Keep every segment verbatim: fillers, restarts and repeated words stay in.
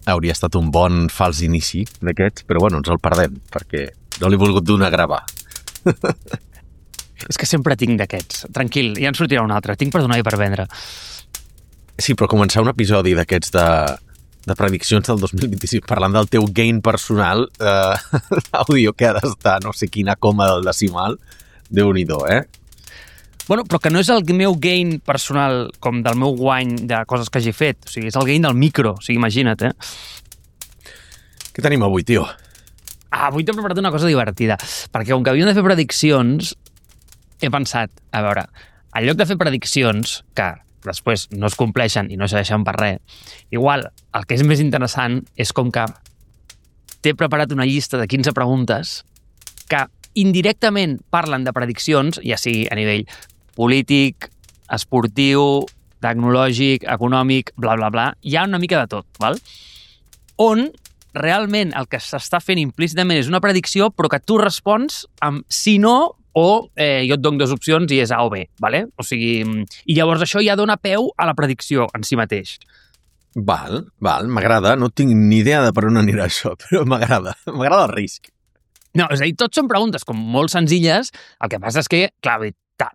hauria estat un bon fals inici d'aquests, però bueno, ens el perdem, perquè no l'he volgut donar a gravar. És que sempre tinc d'aquests. Tranquil, ja en sortirà un altre. Tinc per donar i per vendre. Sí, però començar un episodi d'aquests de, de prediccions del dos mil vint-i-sis parlant del teu gain personal, eh, l'àudio que ha d'estar no sé quina coma del decimal, Déu-n'hi-do, eh? Bueno, però que no és el meu gain personal com del meu guany de coses que hagi fet. O sigui, és el gain del micro. O sigui, imagina't, eh? Què tenim avui, tio? Ah, avui t'he preparat una cosa divertida. Perquè com que havíem de fer prediccions, he pensat, a veure, en lloc de fer prediccions, que després no es compleixen i no serveixen per res, igual el que és més interessant és com que t'he preparat una llista de quinze preguntes que indirectament parlen de prediccions, ja sigui a nivell polític, esportiu, tecnològic, econòmic, bla, bla, bla. Hi ha una mica de tot, val? On realment el que s'està fent implícitament és una predicció, però que tu respons amb sí, no, o eh, jo et dono dues opcions i és A o B, vale? O sigui, i llavors això ja dona peu a la predicció en si mateix. Val, val, m'agrada. No tinc ni idea de per on anirà això, però m'agrada. M'agrada el risc. No, és a dir, tots són preguntes com molt senzilles, el que passa és que, clar,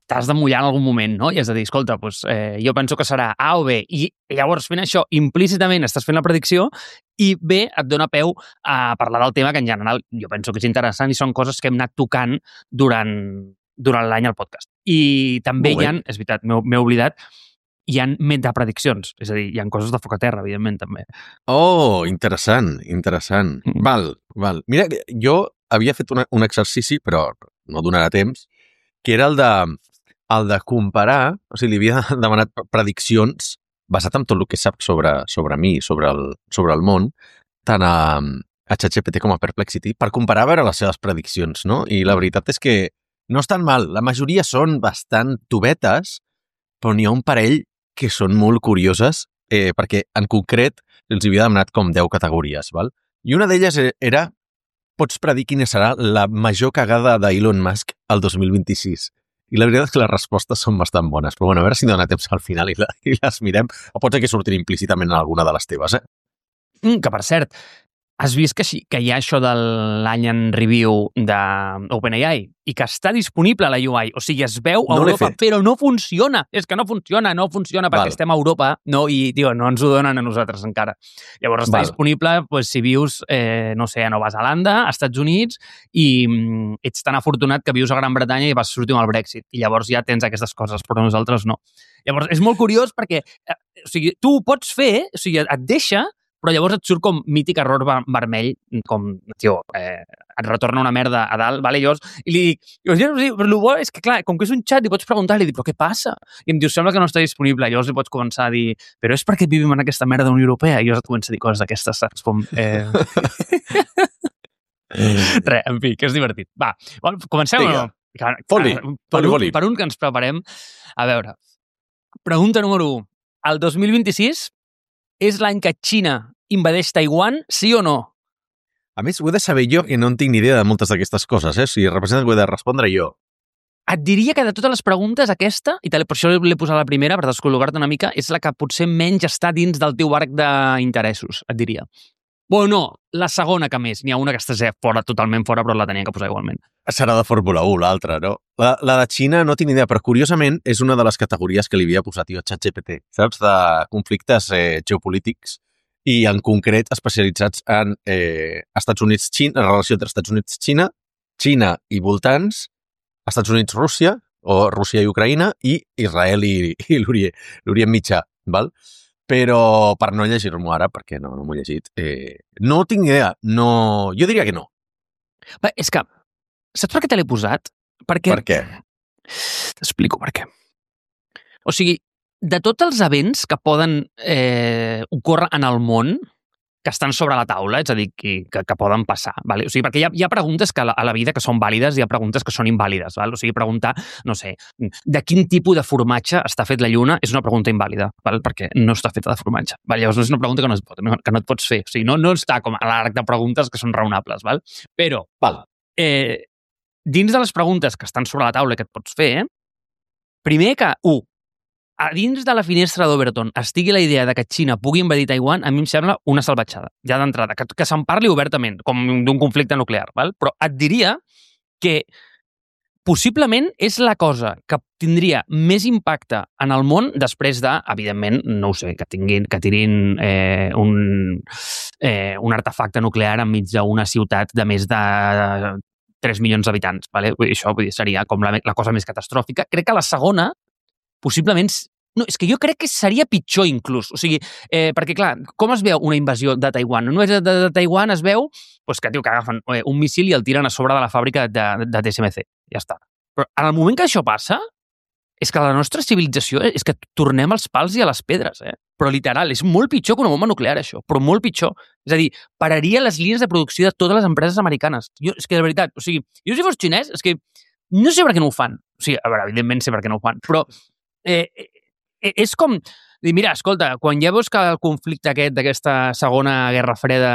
t'has de mullar en algun moment, no? I has de dir, escolta, doncs, eh, jo penso que serà A o B, i llavors fent això implícitament estàs fent la predicció, i B et dona peu a parlar del tema que en general jo penso que és interessant i són coses que hem anat tocant durant, durant l'any al podcast. I també hi ha, és veritat, m'he oblidat, hi ha metaprediccions, és a dir, hi ha coses de foc a terra, evidentment, també. Oh, interessant, interessant. Mm. Val, val. Mira, jo havia fet una, un exercici, però no donarà temps, que era el de, el de comparar, o sigui, li havia demanat prediccions basat en tot el que sap sobre, sobre mi, sobre el, sobre el món, tant a, a ChatGPT com a Perplexity, per comparar a veure les seves prediccions, no? I la veritat és que no estan mal. La majoria són bastant tobetes, però n'hi ha un parell que són molt curioses, eh, perquè en concret els havia demanat com deu categories, val? I una d'elles era pots predir quina serà la major cagada d'Elon Musk al dos mil vint-i-sis. I la veritat és que les respostes són bastant bones. Però bueno, a veure si dona temps al final i, la, i les mirem. O pot ser que surtin implícitament en alguna de les teves, eh? Mm, que, per cert, has vist que, que hi ha això de l'any en review d'OpenAI i que està disponible a la U I. O sigui, es veu a no Europa, però no funciona. És que no funciona, no funciona perquè Val. estem a Europa no, i, tio, no ens ho donen a nosaltres encara. Llavors està Val. disponible pues, si vius, eh, no sé, a Nova Zelanda, als Estats Units, i mm, ets tan afortunat que vius a Gran Bretanya i vas sortir amb el Brexit. I llavors ja tens aquestes coses, però nosaltres no. Llavors, és molt curiós perquè eh, o sigui, tu ho pots fer, o sigui, et deixa, però llavors et surt com mític error vermell, com, tio, eh, et retorna una merda a dalt, vale? Llavors, i li dic, jo, però el bo és que, clar, com que és un xat, li pots preguntar, li dic, però què passa? I em diu, sembla que no està disponible. I llavors li pots començar a dir, però és perquè vivim en aquesta merda de Unió Europea? I llavors et comença a dir coses d'aquestes, saps? Com, eh... Res, en fi, que és divertit. Va, comencem o no? Foli, per, un, per un que ens preparem. A veure, pregunta número u. El dos mil vint-i-sis és l'any que Xina invadeix Taiwan, sí o no? A més, ho he de saber jo, que no en tinc ni idea de moltes d'aquestes coses, eh? Si representa que ho he de respondre jo. Et diria que de totes les preguntes, aquesta, i per això l'he posat la primera, per descol·logar-te una mica, és la que potser menys està dins del teu arc d'interessos, et diria. Bueno, no, la segona que més. N'hi ha una que està fora, totalment fora, però la tenia que posar igualment. Serà de Fórmula u, l'altra, no? La, la de Xina no tinc idea, però curiosament és una de les categories que li havia posat jo a ChatGPT, saps? De conflictes eh, geopolítics i en concret especialitzats en eh, Estats Units-Xina, la relació entre Estats Units-Xina, Xina i voltants, Estats Units-Rússia, o Rússia i Ucraïna, i Israel i, i l'Orient Mitjà, val? Però per no llegir-m'ho ara, perquè no, no m'ho he llegit, eh, no tinc idea. No... Jo diria que no. Bé, és que, saps per què te l'he posat? Perquè... Per què? T'explico per què. O sigui, de tots els events que poden eh, ocórrer en el món, que estan sobre la taula, és a dir, que, que, que poden passar. Vale? O sigui, perquè hi ha, hi ha preguntes que a la, a la vida que són vàlides i hi ha preguntes que són invàlides. Val? O sigui, preguntar, no sé, de quin tipus de formatge està fet la lluna és una pregunta invàlida, val? Perquè no està feta de formatge. Val? Llavors no és una pregunta que no, es pot, no, que no et pots fer. O sigui, no, no està com a l'arc de preguntes que són raonables. Val? Però, val. Eh, dins de les preguntes que estan sobre la taula que et pots fer, primer que, u, a dins de la finestra d'Overton estigui la idea de que Xina pugui invadir Taiwan, a mi em sembla una salvatjada, ja d'entrada, que, que se'n parli obertament, com d'un conflicte nuclear, val? Però et diria que possiblement és la cosa que tindria més impacte en el món després de, evidentment, no ho sé, que tinguin, que tirin eh, un, eh, un artefacte nuclear enmig d'una ciutat de més de tres milions d'habitants. Vale? Això vull dir, seria com la, la cosa més catastròfica. Crec que la segona, possiblement... No, és que jo crec que seria pitjor inclús. O sigui, eh, perquè, clar, com es veu una invasió de Taiwan? Una invasió de, de Taiwan es veu pues, que, tio, que agafen eh, un missil i el tiren a sobre de la fàbrica de, de, de T S M C. Ja està. Però en el moment que això passa, és que la nostra civilització és que tornem als pals i a les pedres, eh? Però literal, és molt pitjor que una bomba nuclear, això. Però molt pitjor. És a dir, pararia les línies de producció de totes les empreses americanes. Jo, és que, de veritat, o sigui, jo si fos xinès, és que no sé per què no ho fan. O sigui, a veure, evidentment sé per què no ho fan, però eh, eh, és com dir, mira, escolta, quan ja veus que el conflicte aquest d'aquesta segona guerra freda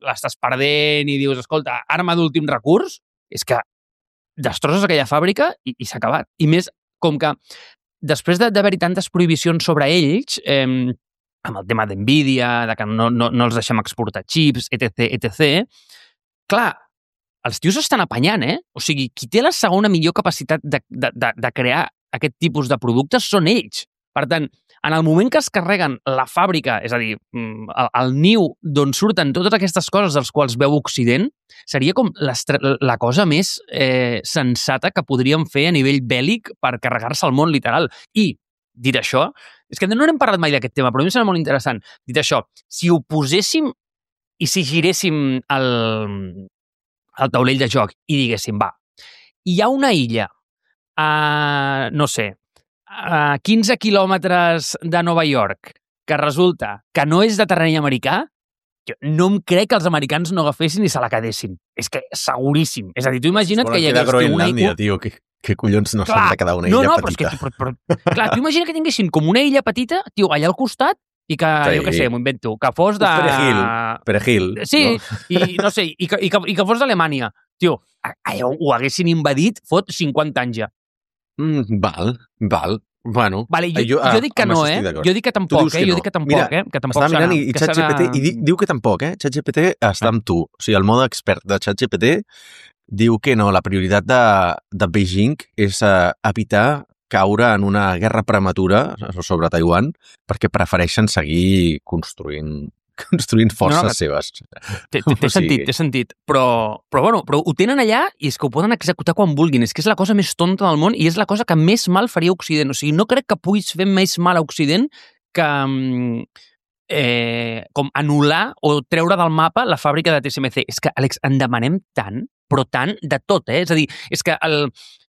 l'estàs perdent i dius, escolta, arma d'últim recurs, és que destrosses aquella fàbrica i, i s'ha acabat. I més, com que després d'haver-hi tantes prohibicions sobre ells, eh, amb el tema d'Nvidia, de que no, no, no els deixem exportar xips, etc, etcètera, clar, els tios estan apanyant, eh? O sigui, qui té la segona millor capacitat de, de, de, de crear aquest tipus de productes són ells. Per tant, en el moment que es carreguen la fàbrica, és a dir, el, el niu d'on surten totes aquestes coses dels quals veu Occident, seria com la cosa més eh, sensata que podríem fer a nivell bèl·lic per carregar-se el món, literal. I, dit això, és que no n'hem parlat mai d'aquest tema, però a mi em sembla molt interessant. Dit això, si ho poséssim i si giréssim el, el taulell de joc i diguéssim, va, hi ha una illa a, no sé, a quinze quilòmetres de Nova York, que resulta que no és de terreny americà, jo no em crec que els americans no agafessin i se la quedessin. És que seguríssim. És a dir, tu imagina't que hi hagués... Groenlàndia, tio, que, que collons no s'han de quedar una illa no, no, petita. Però és que, però, però, clar, tu imagina que tinguessin com una illa petita, tio, allà al costat, i que, sí. jo què sé, m'ho invento, que fos de... Perejil, perejil. Sí, no? i no sé, i que, i que, i que fos d'Alemanya. Tio, allò ho haguessin invadit fot cinquanta anys ja. Mm, val, val. Bueno, vale, jo, jo, jo dic que no, eh? Jo dic que tampoc, eh? Que jo no. dic que tampoc, Mira, eh? Que tampoc estava mirant i, i que ChatGPT serà... i di, diu que tampoc, eh? ChatGPT està amb tu. O sigui, el mode expert de ChatGPT diu que no, la prioritat de, de Beijing és uh, evitar caure en una guerra prematura sobre Taiwan perquè prefereixen seguir construint construint forces no, no, seves. Té, té, té sentit, té sentit. Però, però, bueno, però ho tenen allà i és que ho poden executar quan vulguin. És que és la cosa més tonta del món i és la cosa que més mal faria a Occident. O sigui, no crec que puguis fer més mal a Occident que eh, com anul·lar o treure del mapa la fàbrica de T S M C. És que, Àlex, en demanem tant, però tant de tot, eh? És a dir, és que el...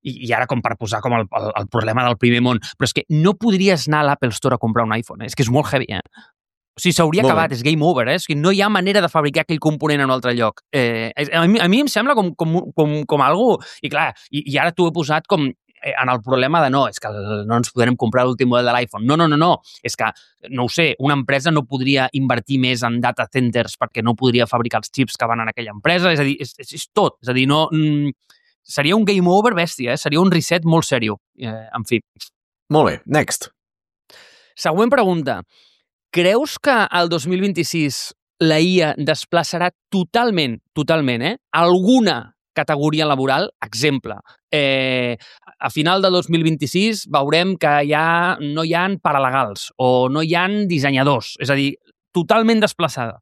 I ara com per posar com el, el, el problema del primer món, però és que no podries anar a l'Apple Store a comprar un iPhone, eh? És que és molt heavy, eh? O sigui, s'hauria acabat, és game over, eh? O sigui, no hi ha manera de fabricar aquell component en un altre lloc. Eh, a, mi, a mi em sembla com, com, com, com algo... I clar, i, i ara t'ho he posat com eh, en el problema de no, és que no ens podrem comprar l'últim model de l'iPhone. No, no, no, no. És que, no ho sé, una empresa no podria invertir més en data centers perquè no podria fabricar els xips que van en aquella empresa. És a dir, és, és, és tot. És a dir, no... Mm, seria un game over bèstia, eh? Seria un reset molt seriós. Eh, en fi. Molt bé, next. Següent pregunta. Creus que el dos mil vint-i-sis la I A desplaçarà totalment, totalment, eh, alguna categoria laboral? Exemple, eh, a final de dos mil vint-i-sis veurem que ja no hi ha paralegals o no hi ha dissenyadors. És a dir, totalment desplaçada.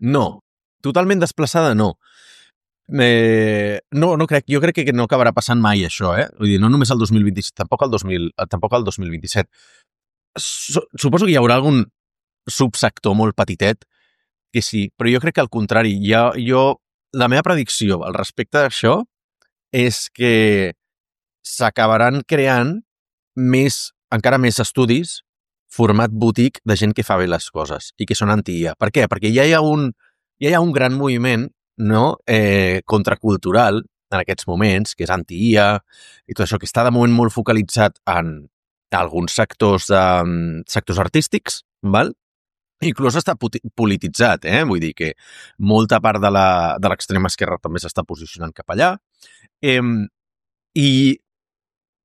No, totalment desplaçada no. Eh, no, no crec. Jo crec que no acabarà passant mai això, eh? Vull dir, no només el dos mil vint-i-sis, tampoc el, dos mil, tampoc el dos mil vint-i-set. Suposo que hi haurà algun subsector molt petitet que sí, però jo crec que al contrari, jo, jo, la meva predicció al respecte d'això és que s'acabaran creant més, encara més estudis format boutique de gent que fa bé les coses i que són anti-I A. Per què? Perquè ja hi ha un, ja hi ha un gran moviment, no? eh, contracultural en aquests moments, que és anti-I A i tot això, que està de moment molt focalitzat en alguns sectors, de, sectors artístics, val? Inclús està polititzat, eh? Vull dir que molta part de l'extrema esquerra també s'està posicionant cap allà. Eh, I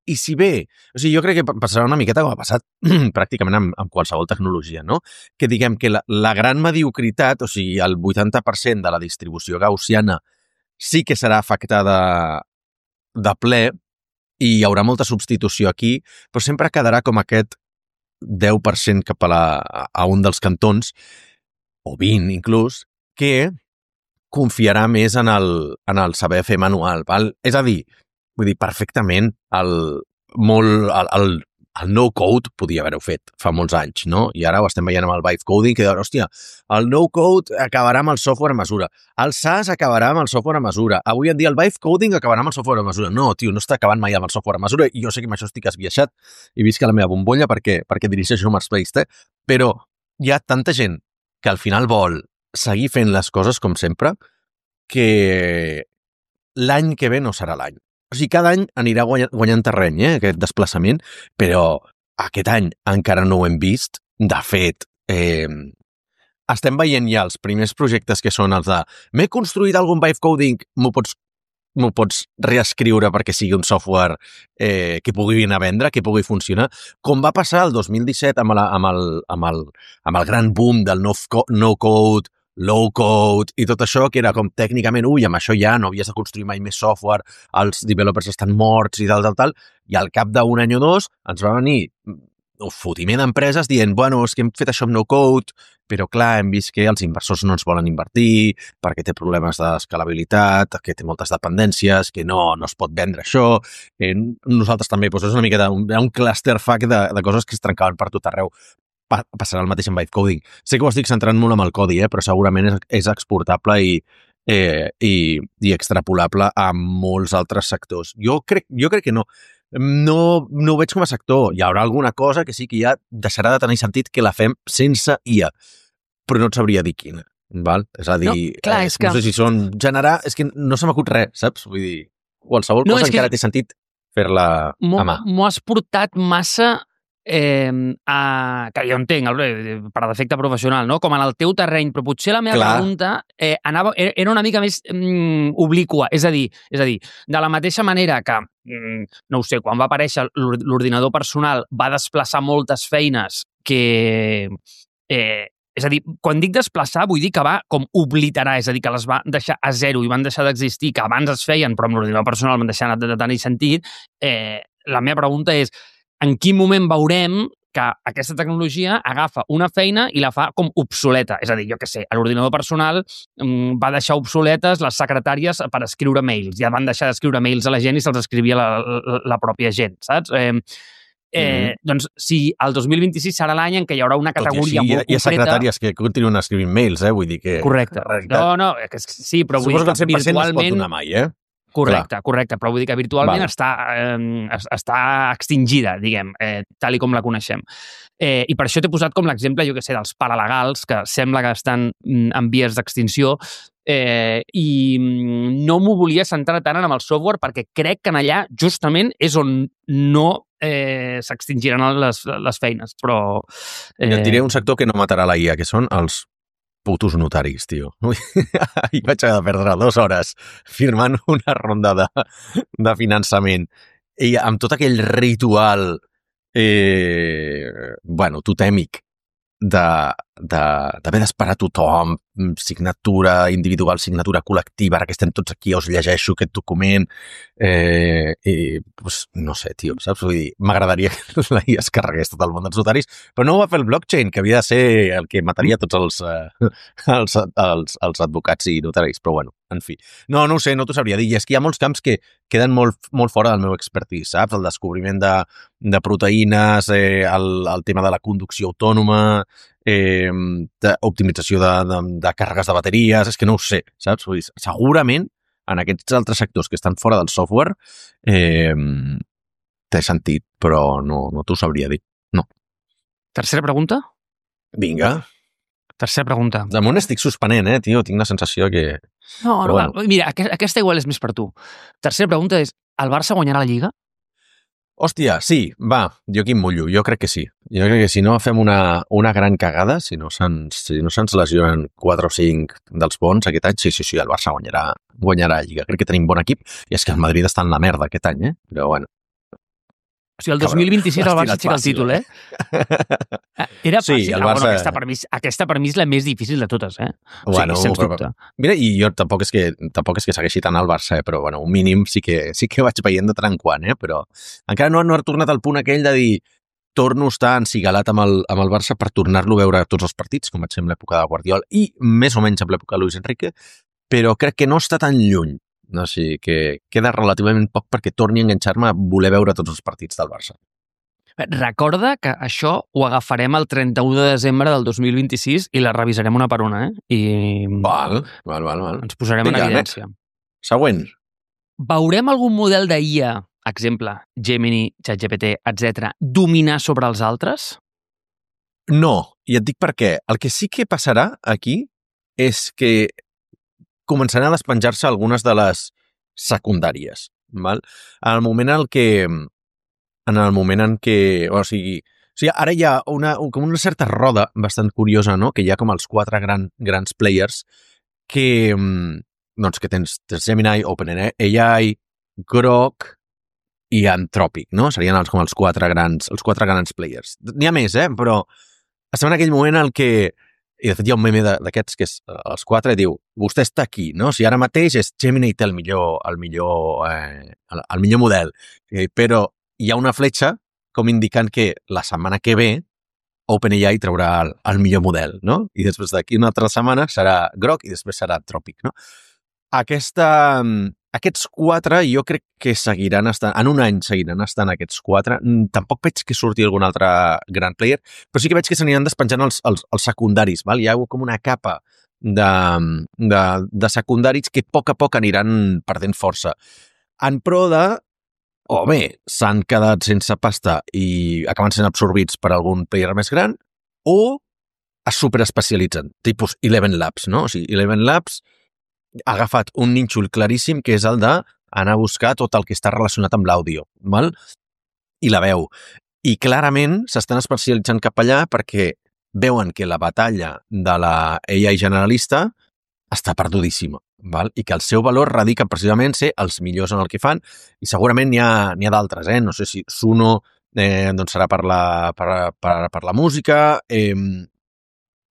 I si bé, o sigui, jo crec que passarà una miqueta com ha passat pràcticament amb, amb qualsevol tecnologia, no? Que diguem que la, la gran mediocritat, o sigui, el vuitanta per cent de la distribució gaussiana sí que serà afectada de ple i hi haurà molta substitució aquí, però sempre quedarà com aquest deu per cent cap a, la, a un dels cantons, o vint inclús, que confiarà més en el, en el saber fer manual. Val? És a dir, vull dir, perfectament el, molt, el, el, el no-code podia haver-ho fet fa molts anys, no? I ara ho estem veient amb el vibe coding, que diuen, hòstia, el no-code acabarà amb el software a mesura, el SaaS acabarà amb el software a mesura, avui en dia el vibe coding acabarà amb el software a mesura. No, tio, no està acabant mai amb el software a mesura, i jo sé que amb això estic esbiaixat i visc a la meva bombolla perquè, perquè dirigeixo Marketplace, eh? Però hi ha tanta gent que al final vol seguir fent les coses com sempre que l'any que ve no serà l'any. O sigui, cada any anirà guanyant, guanyant terreny, eh, aquest desplaçament, però aquest any encara no ho hem vist. De fet, eh, estem veient ja els primers projectes que són els de m'he construït algun vibe coding, m'ho pots, m'ho pots reescriure perquè sigui un software eh, que pugui anar a vendre, que pugui funcionar, com va passar el dos mil disset amb, la, amb, el, amb, el, amb el gran boom del no-code, low-code i tot això, que era com tècnicament, ui, amb això ja no havies de construir mai més software, els developers estan morts i tal, tal, tal, i al cap d'un any o dos ens va venir un fotiment d'empreses dient, bueno, és que hem fet això amb no-code, però clar, hem vist que els inversors no ens volen invertir perquè té problemes d'escalabilitat, que té moltes dependències, que no, no es pot vendre això. Eh, nosaltres també, doncs és una miqueta un, un clusterfuck de, de coses que es trencaven per tot arreu. Passarà el mateix amb vibe coding. Sé que ho estic centrant molt amb el codi, eh, però segurament és, és exportable i, eh, i, i extrapolable a molts altres sectors. Jo crec, jo crec que no. No, no ho veig com a sector. Hi haurà alguna cosa que sí que ja deixarà de tenir sentit que la fem sense I A, però no et sabria dir quina. Val? És a dir, no, clar, eh, és que... no sé si són generar... És que no se m'acut res, saps? Vull dir, qualsevol no, cosa encara que... té sentit fer-la a mà. M'ho has portat massa... Eh, a, que jo entenc, per defecte professional, no? Com en el teu terreny, però potser la meva Clar. pregunta eh, anava, era una mica més mm, obliqua, és a dir, és a dir, de la mateixa manera que, mm, no ho sé, quan va aparèixer l'ordinador personal va desplaçar moltes feines que... Eh, és a dir, quan dic desplaçar vull dir que va com obliterar, és a dir, que les va deixar a zero i van deixar d'existir, que abans es feien, però amb l'ordinador personal van deixar de tenir sentit. Eh, la meva pregunta és en quin moment veurem que aquesta tecnologia agafa una feina i la fa com obsoleta. És a dir, jo què sé, a l'ordinador personal mmm, va deixar obsoletes les secretàries per escriure mails. Ja van deixar d'escriure mails a la gent i se'ls escrivia la, la, la pròpia gent, saps? Eh, eh, mm. Doncs si el dos mil vint-i-sis serà l'any en què hi haurà una categoria així, molt concreta... Hi ha secretàries que continuen escrivint mails, eh? Vull dir que... Correcte. No, no, que sí, però vull dir que, que virtualment... no es pot donar mai, eh? Correcte, Clar. correcte, però vull dir que virtualment està, eh, està extingida, diguem, eh, tal i com la coneixem. Eh, I per això t'he posat com l'exemple, jo què sé, dels paralegals, que sembla que estan en vies d'extinció, eh, i no m'ho volia centrar tant en el software perquè crec que en allà justament és on no eh, s'extingiran les, les feines, però... Eh... Et diré un sector que no matarà la I A, que són els putos notaris, tio. Ahir vaig haver de perdre dues hores firmant una ronda de, de finançament. I amb tot aquell ritual eh, bueno, totèmic d'haver d'esperar tothom, signatura individual, signatura col·lectiva, ara que estem tots aquí, us llegeixo aquest document, eh, i, pues, no sé, tio, saps? Vull dir, m'agradaria que la I A es carregués tot el món dels notaris, però no ho va fer el blockchain, que havia de ser el que mataria tots els, eh, els, els, els advocats i notaris, però bueno, en fi. No, no ho sé, no t'ho sabria dir, i és que hi ha molts camps que queden molt, molt fora del meu expertise, saps? El descobriment de, de proteïnes, eh, el, el tema de la conducció autònoma, eh, d'optimització de, de, de càrregues de bateries, és que no ho sé, saps? Vull dir, segurament en aquests altres sectors que estan fora del software eh, té sentit, però no, no t'ho sabria dir. No. Tercera pregunta? Vinga. Tercera pregunta. Damunt estic suspenent, eh, tio? Tinc la sensació que... No, no, bueno. Mira, aquesta igual és més per tu. Tercera pregunta és, el Barça guanyarà la Lliga? Hòstia, sí, va, jo aquí em mullo, jo crec que sí. Jo crec que si no fem una, una gran cagada, si no se'ns si no se'ns lesionen quatre o cinc dels bons aquest any, sí, sí, sí, el Barça guanyarà, guanyarà la Lliga. Crec que tenim bon equip, i és que el Madrid està en la merda aquest any, eh? Però bueno. O sigui, el dos mil vint-i-sis el Barça aixeca el títol, eh? Era fàcil. Sí, el Ah, Barça... bueno, aquesta, per mi, aquesta per mi és la més difícil de totes, eh? O sigui, Bueno, sens però- dubte. Mira, i jo tampoc és que, tampoc és que segueixi tant al Barça, eh? Però bueno, un mínim sí que, sí que vaig veient de tant en quant, eh? Però encara no, no ha tornat al punt aquell de dir torno a estar encigalat amb el, amb el Barça per tornar-lo a veure tots els partits, com vaig ser en l'època de Guardiola i més o menys en l'època de Luis Enrique, però crec que no està tan lluny. No, o sigui, que queda relativament poc perquè torni a enganxar-me a voler veure tots els partits del Barça. Recorda que això ho agafarem el trenta-u de desembre del dos mil vint-i-sis i la revisarem una per una, eh? I Val, val, val. val. ens posarem Vinga, en evidència. Següent. Veurem algun model d'I A, exemple, Gemini, ChatGPT, etcètera, dominar sobre els altres? No, i et dic per què. El que sí que passarà aquí és que començaran a despenjar-se algunes de les secundàries. Val? En el moment en què en el moment en què, o sigui, o sigui ara hi ha una, com una certa roda bastant curiosa, no? Que hi ha com els quatre gran, grans players que, doncs, que tens, tens Gemini, OpenAI, Grok i Anthropic, no? Serien els, com els quatre grans, els quatre grans players. N'hi ha més, eh? Però estem en aquell moment en què, i de fet hi ha un meme d'aquests que és els quatre, diu, vostè està aquí, no? O sigui, ara mateix és Gemini té el millor, el millor, eh, el, el millor model, eh, però hi ha una fletxa com indicant que la setmana que ve OpenAI traurà el, el millor model, no? I després d'aquí una altra setmana serà Grok i després serà Anthropic, no? Aquesta, aquests quatre jo crec que seguiran estant, en un any seguiran estant aquests quatre. Tampoc veig que surti algun altre gran player, però sí que veig que s'aniran despenjant els, els, els secundaris. Val? Hi ha com una capa de, de, de secundaris que a poc a poc aniran perdent força. En pro de, o bé, s'han quedat sense pasta i acaben sent absorbits per algun player més gran, o es superespecialitzen, tipus Eleven Labs, no? O sigui, Eleven Labs ha agafat un nínxol claríssim que és el d'anar a buscar tot el que està relacionat amb l'àudio, val? I la veu. I clarament s'estan especialitzant cap allà perquè veuen que la batalla de la A I generalista està perdudíssima, val? I que el seu valor radica precisament ser els millors en el que fan, i segurament n'hi ha, n'hi ha d'altres, eh? No sé si Suno eh, doncs serà per la, per, per, per la música, eh,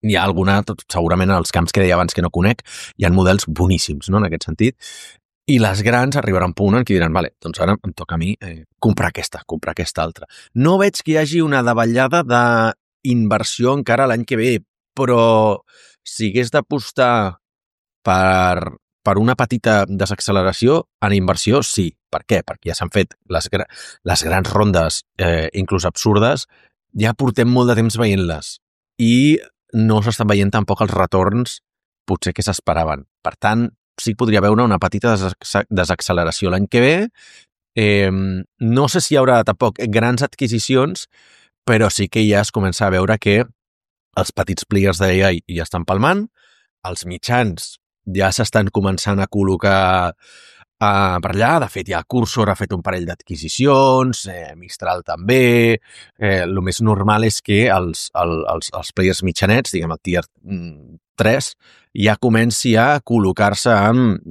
hi ha alguna, segurament en els camps que deia abans que no conec, hi ha models boníssims, no?, en aquest sentit, i les grans arribaran a un punt en què diran, vale, doncs ara em toca a mi eh, comprar aquesta, comprar aquesta altra. No veig que hi hagi una davallada d'inversió encara l'any que ve, però si hagués d'apostar per, per una petita desacceleració en inversió, sí. Per què? Perquè ja s'han fet les, les grans rondes, eh, inclús absurdes, ja portem molt de temps veient-les. I no s'estan veient tampoc els retorns potser que s'esperaven. Per tant, sí que podria veure una petita desacceleració l'any que ve. Eh, no sé si hi haurà tampoc grans adquisicions, però sí que ja es comença a veure que els petits players d'A I ja estan palmant, els mitjans ja s'estan començant a col·locar Uh, per allà. De fet, ja Cursor ha fet un parell d'adquisicions, eh, Mistral també. Eh, el més normal és que els, el, els, els players mitjanets, diguem el tier tres, ja comenci a col·locar-se amb,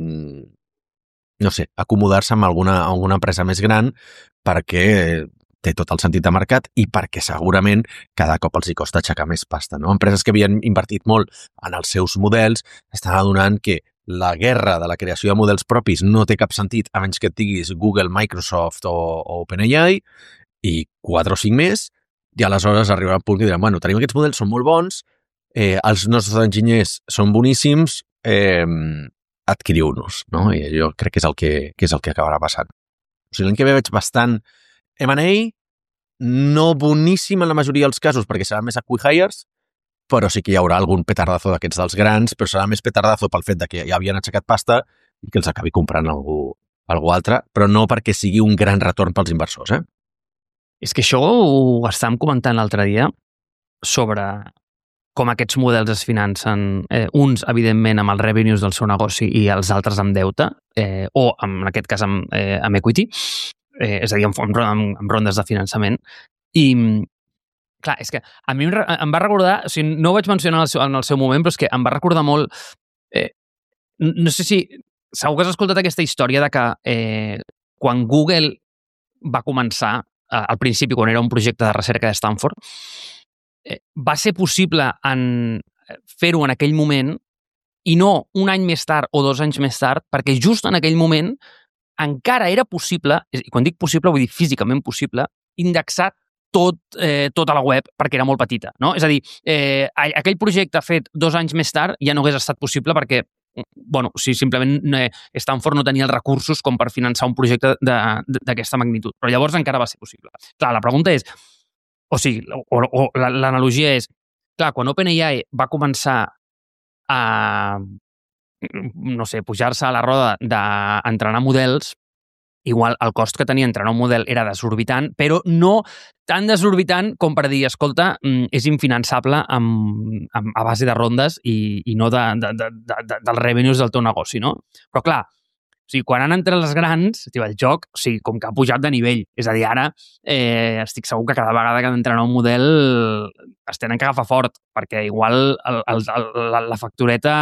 no sé, acomodar-se amb alguna, alguna empresa més gran perquè té tot el sentit de mercat i perquè segurament cada cop els hi costa aixecar més pasta, no? Empreses que havien invertit molt en els seus models estan adonant que la guerra de la creació de models propis no té cap sentit a menys que et diguis Google, Microsoft o, o OpenAI i quatre o cinc més, i aleshores arribarà un punt que diran, bueno, tenim aquests models, són molt bons, eh, els nostres enginyers són boníssims, eh, adquiriu-nos, no? I jo crec que és el que, que és el que acabarà passant. O sigui, l'any que ve veig bastant M and A, no boníssim en la majoria dels casos perquè seran més acqui-hires, però sí que hi haurà algun petardazo d'aquests dels grans, però serà més petardazo pel fet de que ja havien aixecat pasta i que els acabi comprant algú, algú altre, però no perquè sigui un gran retorn pels inversors, eh? És que això ho estàvem comentant l'altre dia sobre com aquests models es financen, eh, uns, evidentment, amb els revenues del seu negoci i els altres amb deute, eh, o, en aquest cas, amb, eh, amb equity, eh, és a dir, amb, amb, amb rondes de finançament. I, clar, és que a mi em, em va recordar, o sigui, no ho vaig mencionar en el seu, en el seu moment, però és que em va recordar molt, eh, no sé si, segur que has escoltat aquesta història de que eh, quan Google va començar al principi, quan era un projecte de recerca de Stanford, eh, va ser possible en fer-ho en aquell moment i no un any més tard o dos anys més tard, perquè just en aquell moment encara era possible, i quan dic possible vull dir físicament possible, indexar tot, eh, tota la web perquè era molt petita. No? És a dir, eh, aquell projecte fet dos anys més tard ja no hagués estat possible perquè bueno, si simplement eh, Stanford no tenia els recursos com per finançar un projecte d'aquesta magnitud. Però llavors encara va ser possible. Clar, la pregunta és, o sigui, o, o l'analogia és, clar, quan OpenAI va començar a, no sé, pujar-se a la roda d'entrenar models, igual el cost que tenia entrenar un model era desorbitant, però no tan desorbitant com per dir, escolta, és infinançable amb, amb, a base de rondes i, i no de, de, de, de, dels revenues del teu negoci, no? Però clar, o sigui, quan han entrat les grans, tio, el joc, o sigui, com que ha pujat de nivell. És a dir, ara eh, estic segur que cada vegada que han d'entrenar un model es tenen que agafar fort, perquè igual el, el, el, la, la factureta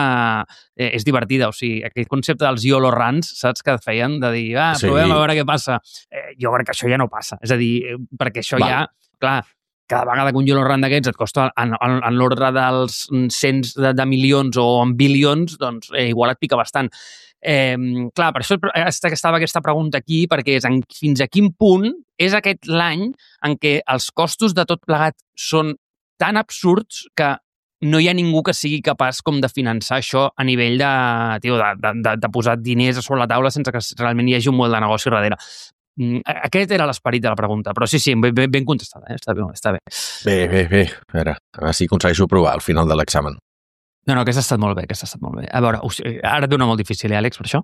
eh, és divertida. O sigui, aquell concepte dels YOLO runs, saps, que feien de dir, ah, sí, provem a veure què passa. Eh, jo crec que això ja no passa. És a dir, perquè això Va. ja, clar, cada vegada que un YOLO run d'aquests et costa en, en, en l'ordre dels cents de, de milions o en bilions, doncs eh, igual et pica bastant. Eh, clar, per això estava aquesta pregunta aquí, perquè és en, fins a quin punt és aquest l'any en què els costos de tot plegat són tan absurds que no hi ha ningú que sigui capaç com de finançar això a nivell de, tio, de, de, de, de posar diners a sobre la taula sense que realment hi hagi un model de negoci darrere. Aquest era l'esperit de la pregunta, però sí, sí, ben, ben contestada, eh? Està bé, està bé. Bé, bé, bé. A veure, a veure si aconsegueixo provar al final de l'examen. No, no, aquesta ha estat molt bé, aquesta ha estat molt bé. A veure, ara et dono molt difícil, eh, Àlex, per això.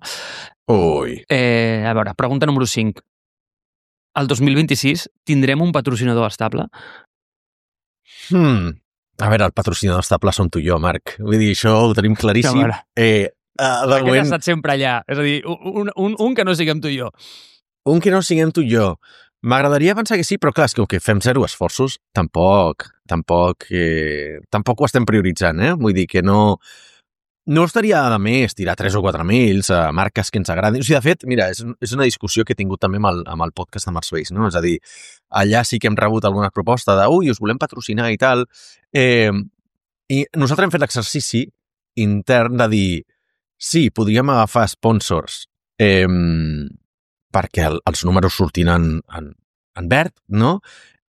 Ui. Eh, a veure, pregunta número cinc. El dos mil vint-i-sis tindrem un patrocinador estable? Hmm. A veure, el patrocinador estable som tu i jo, Marc. Vull dir, això ho tenim claríssim. No, eh, uh, Aquest moment... ha estat sempre allà. És a dir, un, un, un que no siguem tu i jo. Un que no siguem tu i jo. M'agradaria pensar que sí, però clar, és que, que fem zero esforços, tampoc, tampoc, eh, tampoc ho estem prioritzant, eh? Vull dir que no, no estaria de més tirar tres o quatre mails a marques que ens agradin. O sigui, de fet, mira, és, és una discussió que he tingut també amb el, amb el podcast de Marsbase, no? És a dir, allà sí que hem rebut alguna proposta de, ui, us volem patrocinar i tal, eh, i nosaltres hem fet l'exercici intern de dir, sí, podríem agafar sponsors, eh, perquè el, els números sortin en, en, en verd, no?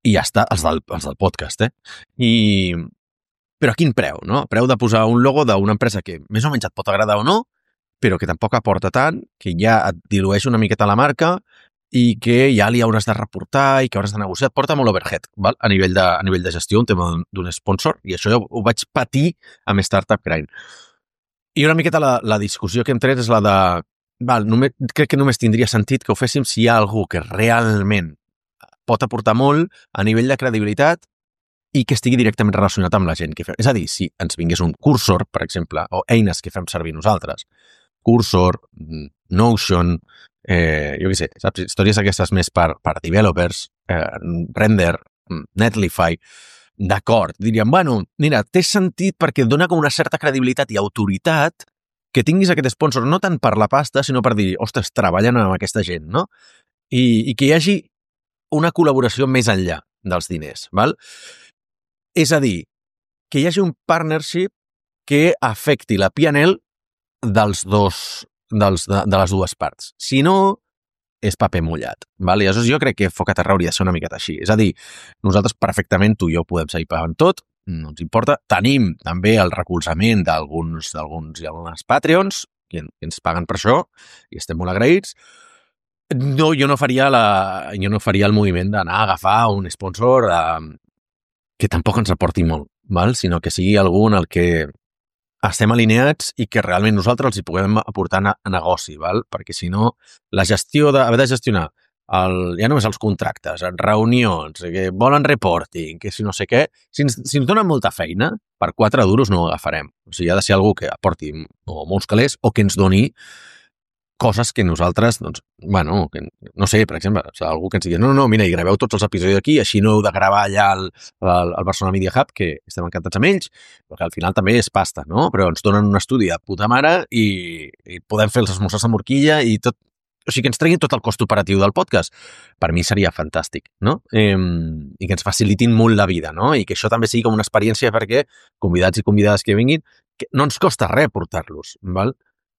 I ja està, els del, els del podcast, eh? I... Però a quin preu, no? Preu de posar un logo d'una empresa que més o menys et pot agradar o no, però que tampoc aporta tant, que ja et dilueix una miqueta la marca i que ja li hauràs de reportar i que hauràs de negociar. Et porta molt overhead, val? A nivell de, a nivell de gestió, un tema d'un sponsor, i això jo ho vaig patir amb Startup Grind. I una miqueta la, la discussió que hem tret és la de val, només, crec que només tindria sentit que ho féssim si hi ha algú que realment pot aportar molt a nivell de credibilitat i que estigui directament relacionat amb la gent que fem. És a dir, si ens vingués un Cursor, per exemple, o eines que fem servir nosaltres, Cursor, Notion, eh, jo què sé, saps? Històries aquestes més per, per developers, eh, Render, Netlify, d'acord, diríem, bueno, mira, té sentit perquè dona com una certa credibilitat i autoritat que tinguis aquest sponsor, no tant per la pasta, sinó per dir, ostres, treballen amb aquesta gent, no? I, i que hi hagi una col·laboració més enllà dels diners, val? És a dir, que hi hagi un partnership que afecti la P and L dels dos, dels, de, de les dues parts. Si no, és paper mullat, val? I aleshores jo crec que Foc a Terra hauria de ser una miqueta així. És a dir, nosaltres perfectament, tu i jo podem seguir pagant tot, no ens importa. Tenim també el recolzament d'alguns d'alguns i algunes Patreons que, que ens paguen per això i estem molt agraïts. No, jo no faria la, jo no faria el moviment d'anar a agafar un sponsor eh, que tampoc ens aporti molt, val? Sinó que sigui algú en el que estem alineats i que realment nosaltres els hi puguem aportar a negoci, val? Perquè si no, la gestió de, haver de gestionar el, ja només els contractes, reunions, que volen reporting, que si no sé què, si ens, si ens donen molta feina, per quatre duros no ho agafarem. O sigui, ha de ser algú que aporti o molts calés o que ens doni coses que nosaltres, doncs, bueno, que, no sé, per exemple, o sigui, algú que ens digui, no, no, mira, i graveu tots els episodis aquí, així no heu de gravar allà al, al, al Barcelona Media Hub, que estem encantats amb ells, perquè al final també és pasta, no? Però ens donen un estudi de puta mare i, i podem fer els esmorzars amb horquilla i tot, o sigui, que ens treguin tot el cost operatiu del podcast. Per mi seria fantàstic, no? Eh, I que ens facilitin molt la vida, no? I que això també sigui com una experiència perquè convidats i convidades que vinguin, que no ens costa res portar-los, val?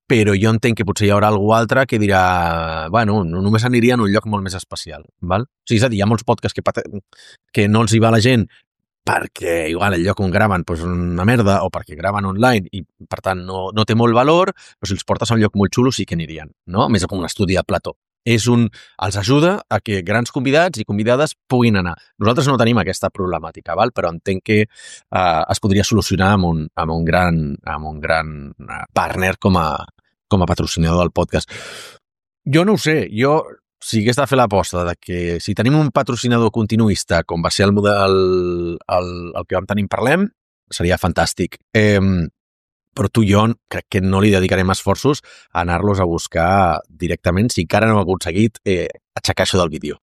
Però jo entenc que potser hi haurà algú altre que dirà, bueno, només aniria en un lloc molt més especial, val? O sigui, és a dir, hi ha molts podcasts que, que no els hi va la gent perquè igual el lloc on graven doncs una merda o perquè graven online i per tant no, no té molt valor, però si els portes a un lloc molt xulo sí que anirien, no? A més com un estudi de plató. És un, els ajuda a que grans convidats i convidades puguin anar. Nosaltres no tenim aquesta problemàtica, val? Però entenc que eh, es podria solucionar amb un, amb un gran, amb un gran partner com a, com a patrocinador del podcast. Jo no ho sé, jo... si hagués de fer l'aposta de que si tenim un patrocinador continuista, com va ser el model el, el que vam tenir en Parlem, seria fantàstic. Eh, però tu i jo crec que no li dedicarem esforços a anar-los a buscar directament si encara no hem aconseguit eh, aixecar això del vídeo.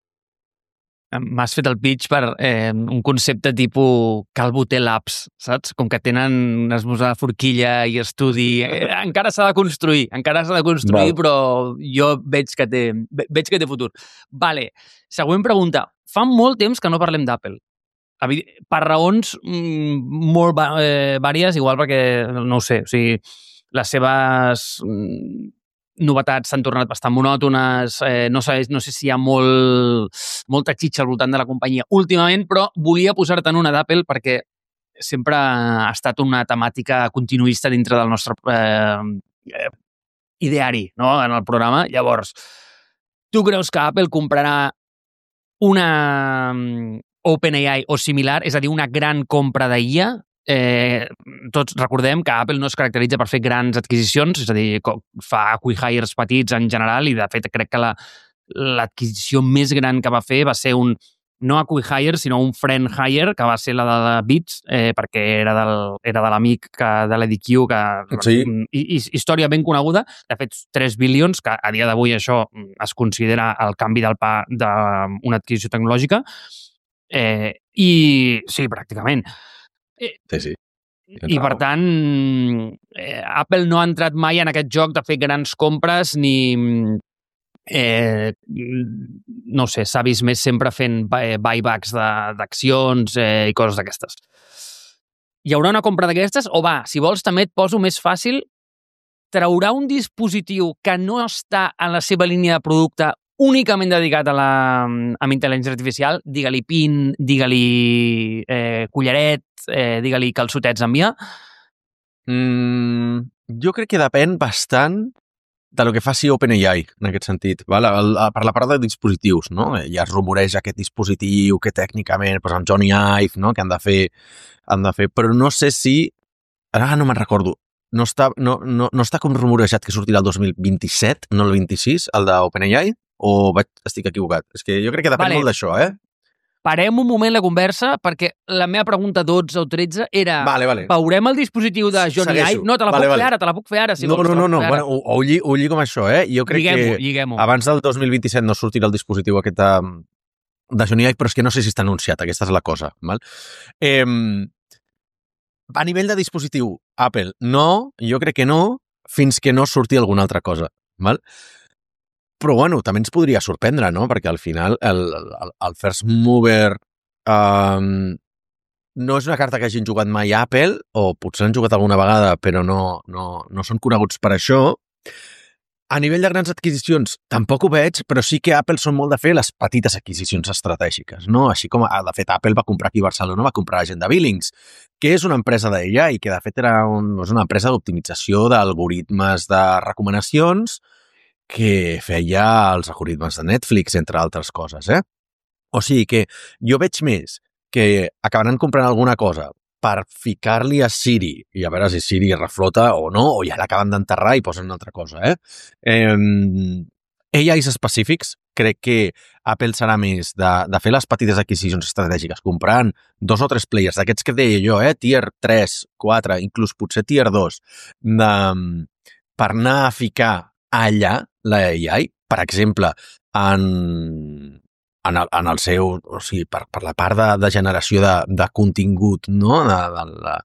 M'has fet el pitch per eh, un concepte tipus Calvo-T Labs, saps? Com que tenen una esmorzar de forquilla i estudi. Eh, encara s'ha de construir, encara s'ha de construir, Val. Però jo veig que té, veig que té futur. Vale, següent pregunta. Fa molt temps que no parlem d'Apple. Per raons mm, molt eh, vàries, igual perquè, no ho sé, o sigui, les seves... Mm, novetats s'han tornat bastant monòtones, eh, no, sé, no sé si hi ha molt, molta xitxa al voltant de la companyia últimament, però volia posar-te en una d'Apple perquè sempre ha estat una temàtica continuista dintre del nostre eh, ideari, no?, en el programa. Llavors, tu creus que Apple comprarà una OpenAI o similar, és a dir, una gran compra d'I A? Eh, tots recordem que Apple no es caracteritza per fer grans adquisicions, és a dir, fa acqui-hires petits en general i de fet crec que la, l'adquisició més gran que va fer va ser un, no acqui-hire, sinó un friend hire, que va ser la de Beats, eh, perquè era, del, era de l'amic que, de l'Eddie Q, que sí. i, i, història ben coneguda, de fet tres bilions, que a dia d'avui això es considera el canvi del pa d'una adquisició tecnològica, eh, i sí, pràcticament. Sí, sí. I per tant, eh, Apple no ha entrat mai en aquest joc de fer grans compres ni, eh, no sé, s'ha vist més sempre fent buybacks d'accions eh, i coses d'aquestes. Hi haurà una compra d'aquestes? O va, si vols també et poso més fàcil, traurà un dispositiu que no està en la seva línia de producte únicament dedicat a la amb intel·ligència artificial, digue-li pin, digue-li eh, collaret, eh, digue-li calçotets amb I A? Mm, jo crec que depèn bastant de lo que faci OpenAI, en aquest sentit. Val? El, el, per la part de dispositius, no? Ja es rumoreja aquest dispositiu que tècnicament, doncs amb Johnny Ive, no? Que han de fer, han de fer, però no sé si... Ara no me'n recordo. No està, no, no, no està com rumorejat que sortirà el dos mil vint-i-set, no el vint-i-sis, el d'OpenAI? O vaig, estic equivocat? És que jo crec que depèn vale. molt d'això, eh? Parem un moment la conversa, perquè la meva pregunta dotze o tretze era vale, vale. veurem el dispositiu de Johnny Ive? No, te la vale, puc vale. fer ara, te la puc fer ara. Si no, vols, no, no, no. Bueno, ho, ho, lli, ho lligo amb això, eh? Jo crec lliguem-ho, que lliguem-ho. abans del dos mil vint-i-set no sortirà el dispositiu aquest de, de Johnny Ive, però és que no sé si està anunciat, aquesta és la cosa. Val? Eh, a nivell de dispositiu, Apple, no, jo crec que no, fins que no surti alguna altra cosa. Val? Però, bueno, també ens podria sorprendre, no? Perquè al final el, el, el first mover um, no és una carta que hagin jugat mai a Apple, o potser han jugat alguna vegada, però no, no, no són coneguts per això. A nivell de grans adquisicions, tampoc ho veig, però sí que Apple són molt de fer les petites adquisicions estratègiques, no? Així com, de fet, Apple va comprar aquí a Barcelona, va comprar Agenda Billings, que és una empresa d'A I, que de fet era un, és una empresa d'optimització d'algoritmes de recomanacions que feia els algoritmes de Netflix, entre altres coses, eh? O sigui que jo veig més que acabaran comprant alguna cosa per ficar-li a Siri i a veure si Siri reflota o no, o ja l'acaben d'enterrar i posen una altra cosa, eh? eh A Is específics, crec que Apple serà més de, de fer les petites adquisicions estratègiques, comprant dos o tres players, d'aquests que deia jo, eh? Tier tres, quatre, inclús potser tier dos, de, per anar a ficar allà la A I, per exemple, en, en, el, en el seu, o sigui, per, per la part de, de generació de, de contingut, no? de, de,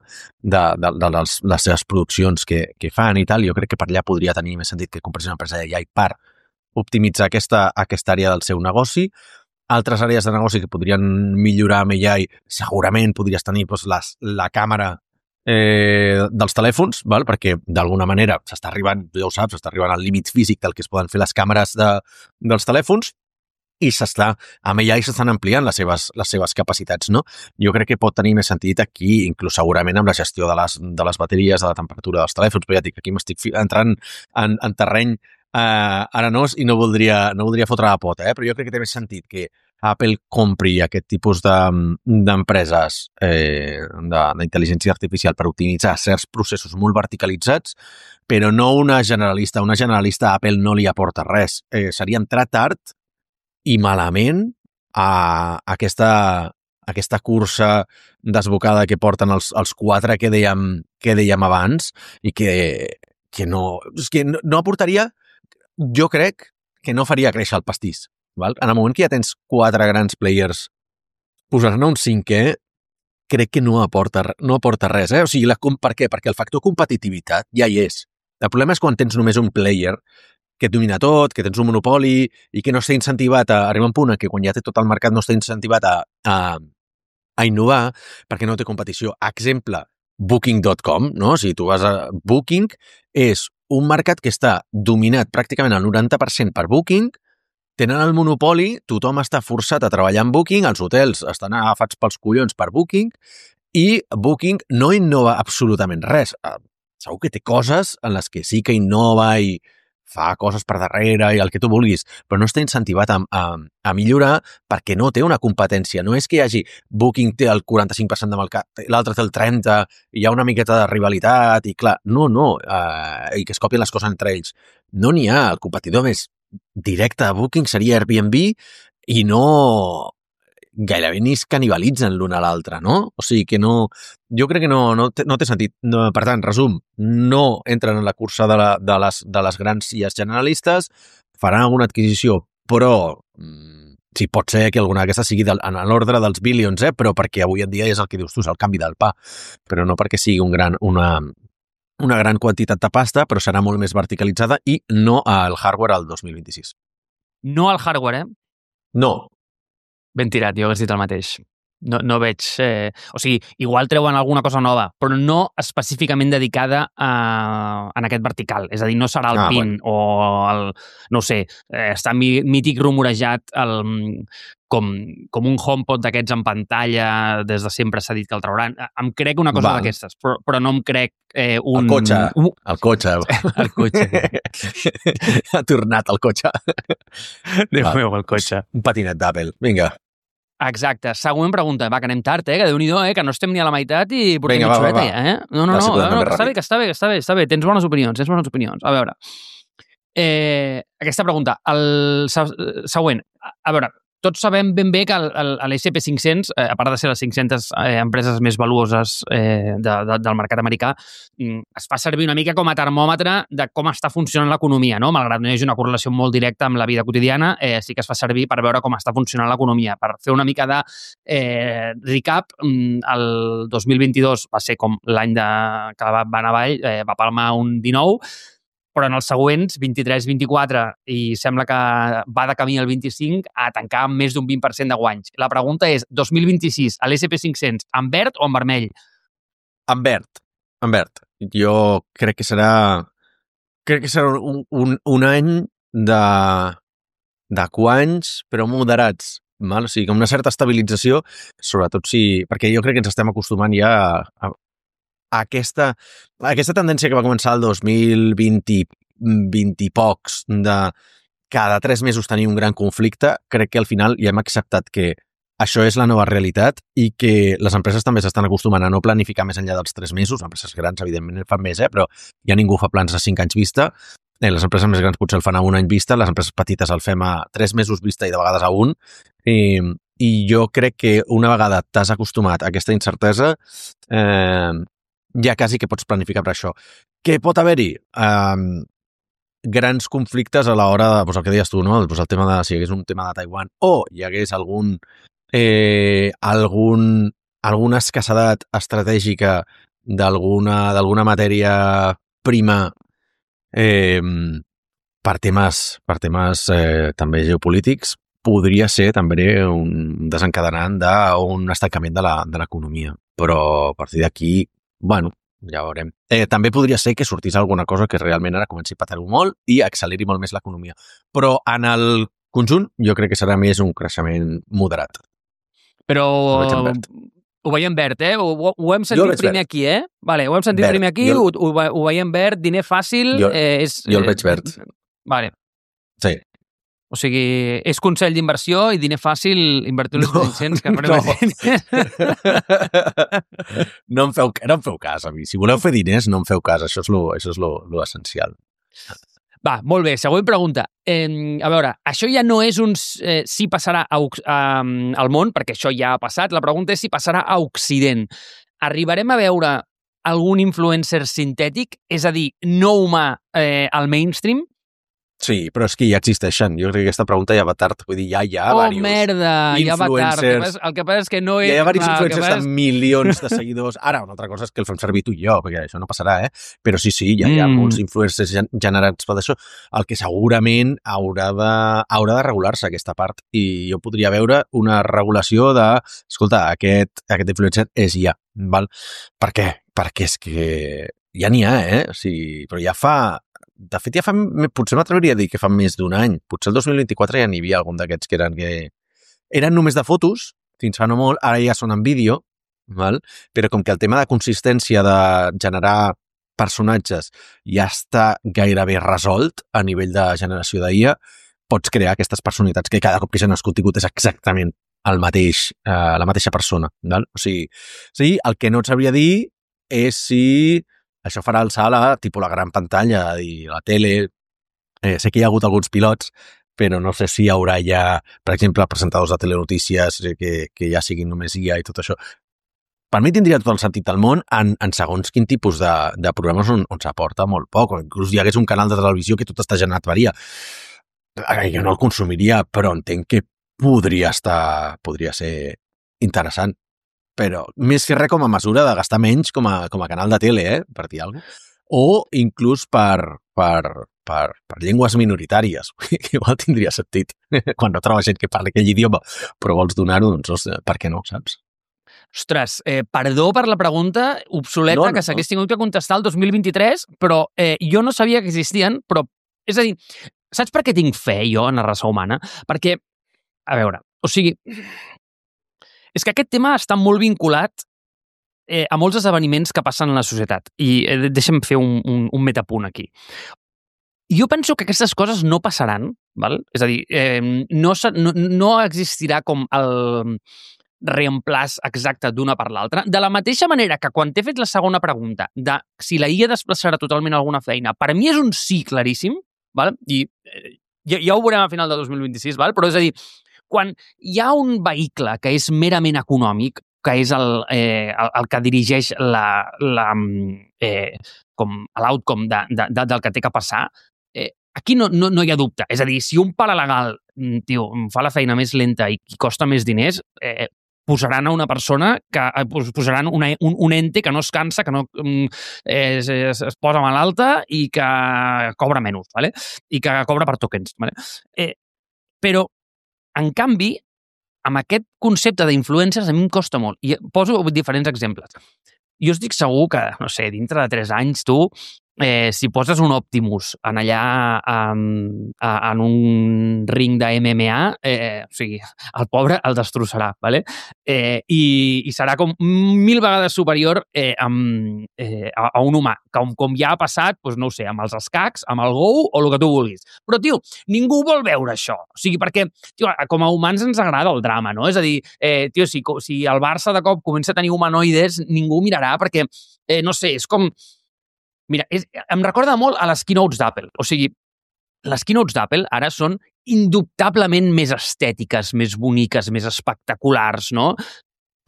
de, de, de les, les seves produccions que, que fan i tal, jo crec que per allà podria tenir més sentit que comprés una empresa de A I per optimitzar aquesta, aquesta àrea del seu negoci. Altres àrees de negoci que podrien millorar amb A I, segurament podries tenir doncs, les, la càmera eh, dels telèfons, val? Perquè d'alguna manera s'està arribant, ja ho saps, s'està arribant al límit físic del que es poden fer les càmeres de, dels telèfons, i s'està, amb A I s'estan ampliant les seves, les seves capacitats, no? Jo crec que pot tenir més sentit aquí, inclús segurament amb la gestió de les, de les bateries, de la temperatura dels telèfons, però ja dic, aquí m'estic entrant en, en terreny eh, arenós i no voldria, no voldria fotre la pota, eh? Però jo crec que té més sentit que Apple compri aquest tipus d'empreses de, eh, d'intel·ligència artificial per optimitzar certs processos molt verticalitzats, però no una generalista. Una generalista a Apple no li aporta res. Eh, seria entrar tard i malament a aquesta, aquesta cursa desbocada que porten els, els quatre que dèiem, que dèiem abans i que, que, no, és que no, no aportaria, jo crec que no faria créixer el pastís. Val? En el moment que ja tens quatre grans players, posar-ne un cinquè crec que no aporta, no aporta res. Eh? O sigui, la, per què? Perquè el factor competitivitat ja hi és. El problema és quan tens només un player que et domina tot, que tens un monopoli i que no està incentivat a arribar a un punt en què quan ja té tot el mercat no està incentivat a, a, a innovar perquè no té competició. Exemple, Booking punt com, no? Si tu vas a Booking, és un mercat que està dominat pràcticament al noranta per cent per Booking, tenen el monopoli, tothom està forçat a treballar en Booking, els hotels estan agafats pels collons per Booking i Booking no innova absolutament res. Segur que té coses en les que sí que innova i fa coses per darrere i el que tu vulguis, però no està incentivat a, a, a millorar perquè no té una competència. No és que hi hagi Booking té el quaranta-cinc per cent de mercat, l'altre té el trenta per cent, hi ha una miqueta de rivalitat i clar, no, no, eh, i que es copien les coses entre ells. No n'hi ha. El competidor més directe a Booking seria Airbnb i no gairebé ni es canibalitzen l'un a l'altre, no? O sigui que no... Jo crec que no, no, té, no té sentit. No, per tant, resum, no entren en la cursa de, la, de, les, de les grans I As generalistes, faran alguna adquisició, però mm, sí, pot ser que alguna d'aquestes sigui del, en l'ordre dels billions, eh? Però perquè avui en dia és el que dius tu, és el canvi del pa, però no perquè sigui un gran, una, una gran quantitat de pasta, però serà molt més verticalitzada i no al hardware al dos mil vint-i-sis. No al hardware, eh? No. Ben tirat, jo hagués dit el mateix. No, no veig... Eh... O sigui, igual treuen alguna cosa nova, però no específicament dedicada a, en aquest vertical. És a dir, no serà el ah, PIN bueno. o el... No ho sé, eh, està mític rumorejat el, com, com un HomePod d'aquests en pantalla, des de sempre s'ha dit que el trauran. Em crec una cosa d'aquestes, però, però no em crec eh, un... El cotxe, un... el cotxe. el cotxe. Ha tornat el cotxe. Déu meu, el cotxe. Un patinet d'Apple, vinga. Exacte. Següent pregunta. Va, que anem tard, eh? Que Déu-n'hi-do, eh? Que no estem ni a la meitat i portem Vinga, mitja horeta ja, eh? No, no, va, no, si no, no que està ràpid. bé, que està bé, que està bé, està bé. Tens bones opinions, tens bones opinions. A veure, eh, aquesta pregunta. El següent. A veure, tots sabem ben bé que l'S and P cinc-cents, eh, a part de ser les cinc-centes eh, empreses més valuoses eh, de, de, del mercat americà, es fa servir una mica com a termòmetre de com està funcionant l'economia, no? Malgrat no hi hagi una correlació molt directa amb la vida quotidiana, eh, sí que es fa servir per veure com està funcionant l'economia. Per fer una mica de eh, recap, el dos mil vint-i-dos va ser com l'any de, que va anar avall, eh, va palmar un dinou, però en els següents, vint-i-tres vint-i-quatre, i sembla que va de camí al vint-i-cinc, a tancar amb més d'un vint per cent de guanys. La pregunta és, dos mil vint-i-sis, a l'S and P cinc-cents, en verd o en vermell? En verd, en verd. Jo crec que serà crec que serà un, un, un any de, de guanys, però moderats. Val? O sigui, com una certa estabilització, sobretot si... Perquè jo crec que ens estem acostumant ja a, a Aquesta, aquesta tendència que va començar el dos mil vint, vint i pocs de cada tres mesos tenir un gran conflicte, crec que al final ja hem acceptat que això és la nova realitat i que les empreses també s'estan acostumant a no planificar més enllà dels tres mesos. Les empreses grans, evidentment, fan més, eh? Però ja ningú fa plans a cinc anys vista. Eh, les empreses més grans potser el fan a un any vista, les empreses petites el fem a tres mesos vista i de vegades a un. I, i jo crec que una vegada t'has acostumat a aquesta incertesa, eh, ja quasi que pots planificar per això. Què pot haver-hi? Um, grans conflictes a l'hora de, doncs el que deies tu, no? Pues el tema de, si hi hagués un tema de Taiwan o hi hagués algun, eh, algun, alguna escassedat estratègica d'alguna d'alguna matèria prima eh, per temes, per temes eh, també geopolítics, podria ser també un desencadenant d'un estancament de l'economia. Però a partir d'aquí, bueno, ja veurem. Eh, també podria ser que sortís alguna cosa que realment ara comenci a patar-ho molt i acceleri molt més l'economia. Però en el conjunt jo crec que serà més un creixement moderat. Però Ho veig en verd. Ho veiem verd, eh? Ho, ho hem sentit primer verd. Aquí, eh? Vale, ho hem sentit verd. primer aquí, jo... ho, ho, ho veiem verd, diner fàcil... Jo, eh, és, jo el veig verd. Eh, vale. Sí. O sigui, és consell d'inversió i diner fàcil, invertir els cinc-cents... Que no. no, em feu, no em feu cas, a mi. Si voleu fer diners, no em feu cas. Això és lo, això és lo, lo essencial. Va, molt bé. Següent pregunta. Eh, a veure, això ja no és un eh, si passarà a, a, al món, perquè això ja ha passat. La pregunta és si passarà a Occident. Arribarem a veure algun influencer sintètic, és a dir, no humà eh, al mainstream? Sí, però és que ja existeixen. Jo crec que aquesta pregunta ja va tard. Vull dir, ja hi ha oh, diversos merda, ja va tard. El que, passa, el que passa és que no... Ja hi ha diversos no, influencers és... amb milions de seguidors. Ara, una altra cosa és que el fem servir tu i jo, perquè això no passarà, eh? Però sí, sí, ja hi ha mm. molts influencers generats per això. El que segurament haurà de, haurà de regular-se aquesta part. I jo podria veure una regulació de... Escolta, aquest, aquest influencer és ja, val? Per què? Perquè és que ja n'hi ha, eh? O sigui, però ja fa... De fet, ja fa, potser m'atreviria a dir que fa més d'un any. Potser el dos mil vint-i-quatre ja n'hi havia algun d'aquests que eren que eren només de fotos, fins fa no molt, ara ja són en vídeo, val? Però com que el tema de consistència de generar personatges ja està gairebé resolt a nivell de generació d'I A, pots crear aquestes personalitats que cada cop que generes contingut és exactament el mateix, eh, la mateixa persona. Val? O sigui, sí, el que no et sabria dir és si això farà alçar la, tipus la gran pantalla i la tele. Eh, sé que hi ha hagut alguns pilots, però no sé si hi haurà ja, per exemple, presentadors de telenotícies que, que ja siguin només I A i tot això. Per mi tindria tot el sentit del món en, en segons quin tipus de, de programes on, on s'aporta molt poc, o inclús hi hagués un canal de televisió que tot està generat per I A. Jo no el consumiria, però entenc que podria estar, podria ser interessant. Però més que res com a mesura de gastar menys com a, com a canal de tele, eh? Per dir alguna cosa. O inclús per, per, per, per llengües minoritàries, que igual tindria sentit. Quan no trobes gent que parli aquell idioma, però vols donar-ho, doncs per què no, saps? Ostres, eh, perdó per la pregunta obsoleta no, no, que s'hagués no. tingut que contestar el dos mil vint-i-tres, però eh, jo no sabia que existien, però, és a dir, saps per què tinc fe jo en la raça humana? Perquè, a veure, o sigui... És que aquest tema està molt vinculat eh, a molts esdeveniments que passen en la societat. I eh, deixa'm fer un, un, un metapunt aquí. Jo penso que aquestes coses no passaran, val? És a dir, eh, no, no, no existirà com el reemplaç exacte d'una per l'altra. De la mateixa manera que quan t'he fet la segona pregunta de si la I A desplaçarà totalment alguna feina, per mi és un sí claríssim, val? I eh, ja, ja ho veurem a final de dos mil vint-i-sis, val? Però és a dir, quan hi ha un vehicle que és merament econòmic, que és el, eh, el, el que dirigeix la, la, eh, com l'outcome de, de, de, del que té que passar, eh, aquí no, no, no hi ha dubte. És a dir, si un paralegal, tio, fa la feina més lenta i costa més diners, eh, posaran a una persona que posaran una, un, un ente que no es cansa, que no eh, es, es posa malalta i que cobra menys, ¿vale? I que cobra per tokens. ¿Vale? Eh, però en canvi, amb aquest concepte d'influencers a mi em costa molt. I poso diferents exemples. Jo estic segur que, no sé, dintre de tres anys tu, eh, si poses un Optimus en allà en, en un ring de M M A, eh, o sigui, el pobre el destrossarà, ¿vale? Eh, i, i serà com mil vegades superior eh, amb, eh, a, a un humà, com, com ja ha passat, doncs no ho sé, amb els escacs, amb el Go o el que tu vulguis. Però, tio, ningú vol veure això. O sigui, perquè, tio, com a humans ens agrada el drama, no? És a dir, eh, tio, si, si el Barça de cop comença a tenir humanoides, ningú mirarà perquè, eh, no sé, és com... Mira, és, em recorda molt a les keynotes d'Apple. O sigui, les keynotes d'Apple ara són indubtablement més estètiques, més boniques, més espectaculars, no?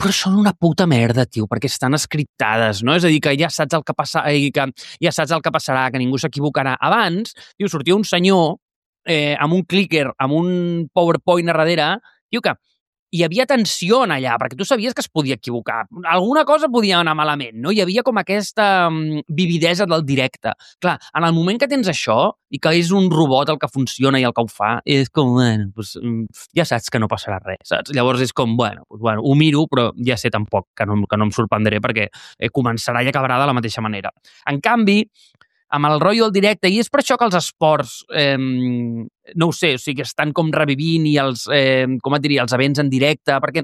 Però són una puta merda, tio, perquè estan escriptades, no? És a dir, que ja saps el que passa, que ja saps el que passarà, que ningú s'equivocarà. Abans, tio, sortia un senyor eh, amb un clicker, amb un PowerPoint a darrere, tio, que hi havia tensió allà, perquè tu sabies que es podia equivocar. Alguna cosa podia anar malament, no? Hi havia com aquesta um, vividesa del directe. Clar, en el moment que tens això i que és un robot el que funciona i el que ho fa, és com, bueno, pues, ja saps que no passarà res, saps? Llavors és com, bueno, pues, bueno ho miro, però ja sé tampoc que no, que no em sorprendré perquè eh, començarà i acabarà de la mateixa manera. En canvi, amb el rotllo del directe, i és per això que els esports, eh, no ho sé, o sigui, estan com revivint i els, eh, com et diria, els events en directe, perquè,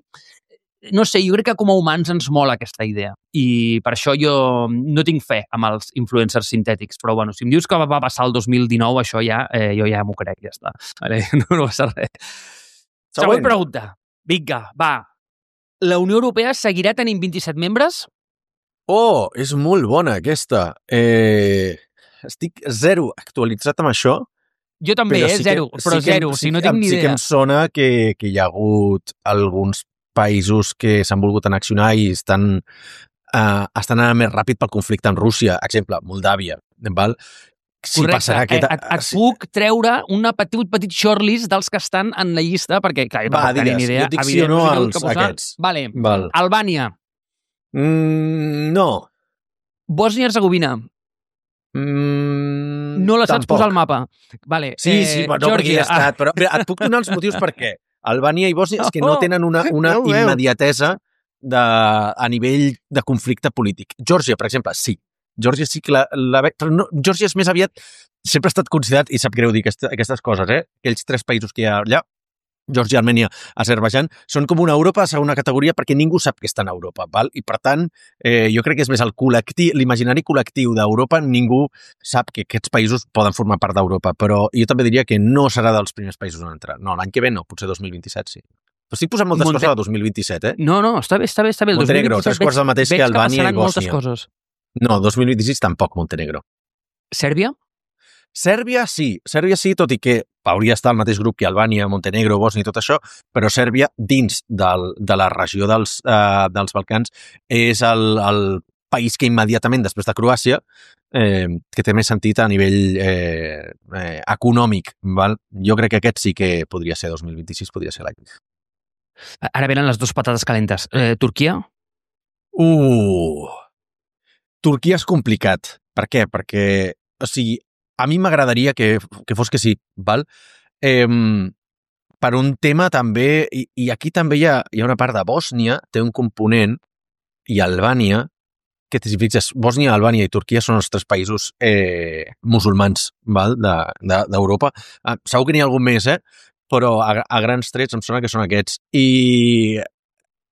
no sé, jo crec que com a humans ens mola aquesta idea. I per això jo no tinc fe amb els influencers sintètics, però bueno, si em dius que va passar el dos mil dinou, això ja, eh, jo ja m'ho crec, ja està. Vale? No, no passa res. Següent, Següent pregunta. Vinga, va. La Unió Europea seguirà tenint vint-i-set membres? Oh, és molt bona aquesta. Eh... Estic zero actualitzat amb això. Jo també, eh? Sí zero, que, però sí zero, que, si no tinc ni idea. Sí que em sona que, que hi ha hagut alguns països que s'han volgut anaccionar i estan, uh, estan anant més ràpid pel conflicte amb Rússia. Exemple, Moldàvia. Val? Si Correcte. Passarà aquest... Et, et puc treure una petit, petit shortlist dels que estan en la llista, perquè, clar, jo Va, tampoc tenia ni idea. Jo dic sí o no als aquests. Vale. Val. Albània. Mm, no. Bòsnia-Herzegovina. Mm, no la saps tampoc. posar al mapa. Vale. Sí, eh, sí, però no perquè hi ha estat. Però et puc donar els motius per què. Albània i Bòsnia és que no tenen una, una no immediatesa de, a nivell de conflicte polític. Geòrgia, per exemple, sí. Geòrgia sí que la... la però no, Geòrgia és més aviat... Sempre ha estat considerat, i sap greu dir aquest, aquestes coses, eh? Aquells tres països que hi ha allà, Geòrgia, Armènia, Azerbaidjan, són com una Europa a segona categoria perquè ningú sap que està en Europa, val? I per tant, eh, jo crec que és més el col·lectiu, l'imaginari col·lectiu d'Europa, ningú sap que aquests països poden formar part d'Europa, però jo també diria que no serà dels primers països on entrar. No, l'any que ve no, potser dos mil vint-i-set sí. Però estic posant moltes Monte... coses a dos mil vint-i-set, eh? No, no, està bé, està bé, està bé. Montenegro, tres quarts del mateix que Albània i Bòsnia. Coses. No, dos mil vint-i-sis tampoc, Montenegro. Sèrbia? Sèrbia sí, Sèrbia sí, tot i que hauria d'estar al mateix grup que Albània, Montenegro, Bòsnia i tot això, però Sèrbia, dins del, de la regió dels, uh, dels Balcans, és el, el país que immediatament després de Croàcia, eh, que té més sentit a nivell eh, eh, econòmic. Val? Jo crec que aquest sí que podria ser dos mil vint-i-sis, podria ser l'any. Ara venen les dues patates calentes. Eh, Turquia? Uh! Turquia és complicat. Per què? Perquè, o sigui, a mi m'agradaria que, que fos que sí, val? Eh, per un tema també, i, i aquí també hi ha, hi ha una part de Bòsnia, té un component, i Albània, que si fixes, Bòsnia, Albània i Turquia són els tres països eh, musulmans val? De, de, d'Europa. Ah, segur que n'hi ha algun més, eh? Però a, a grans trets em sona que són aquests. I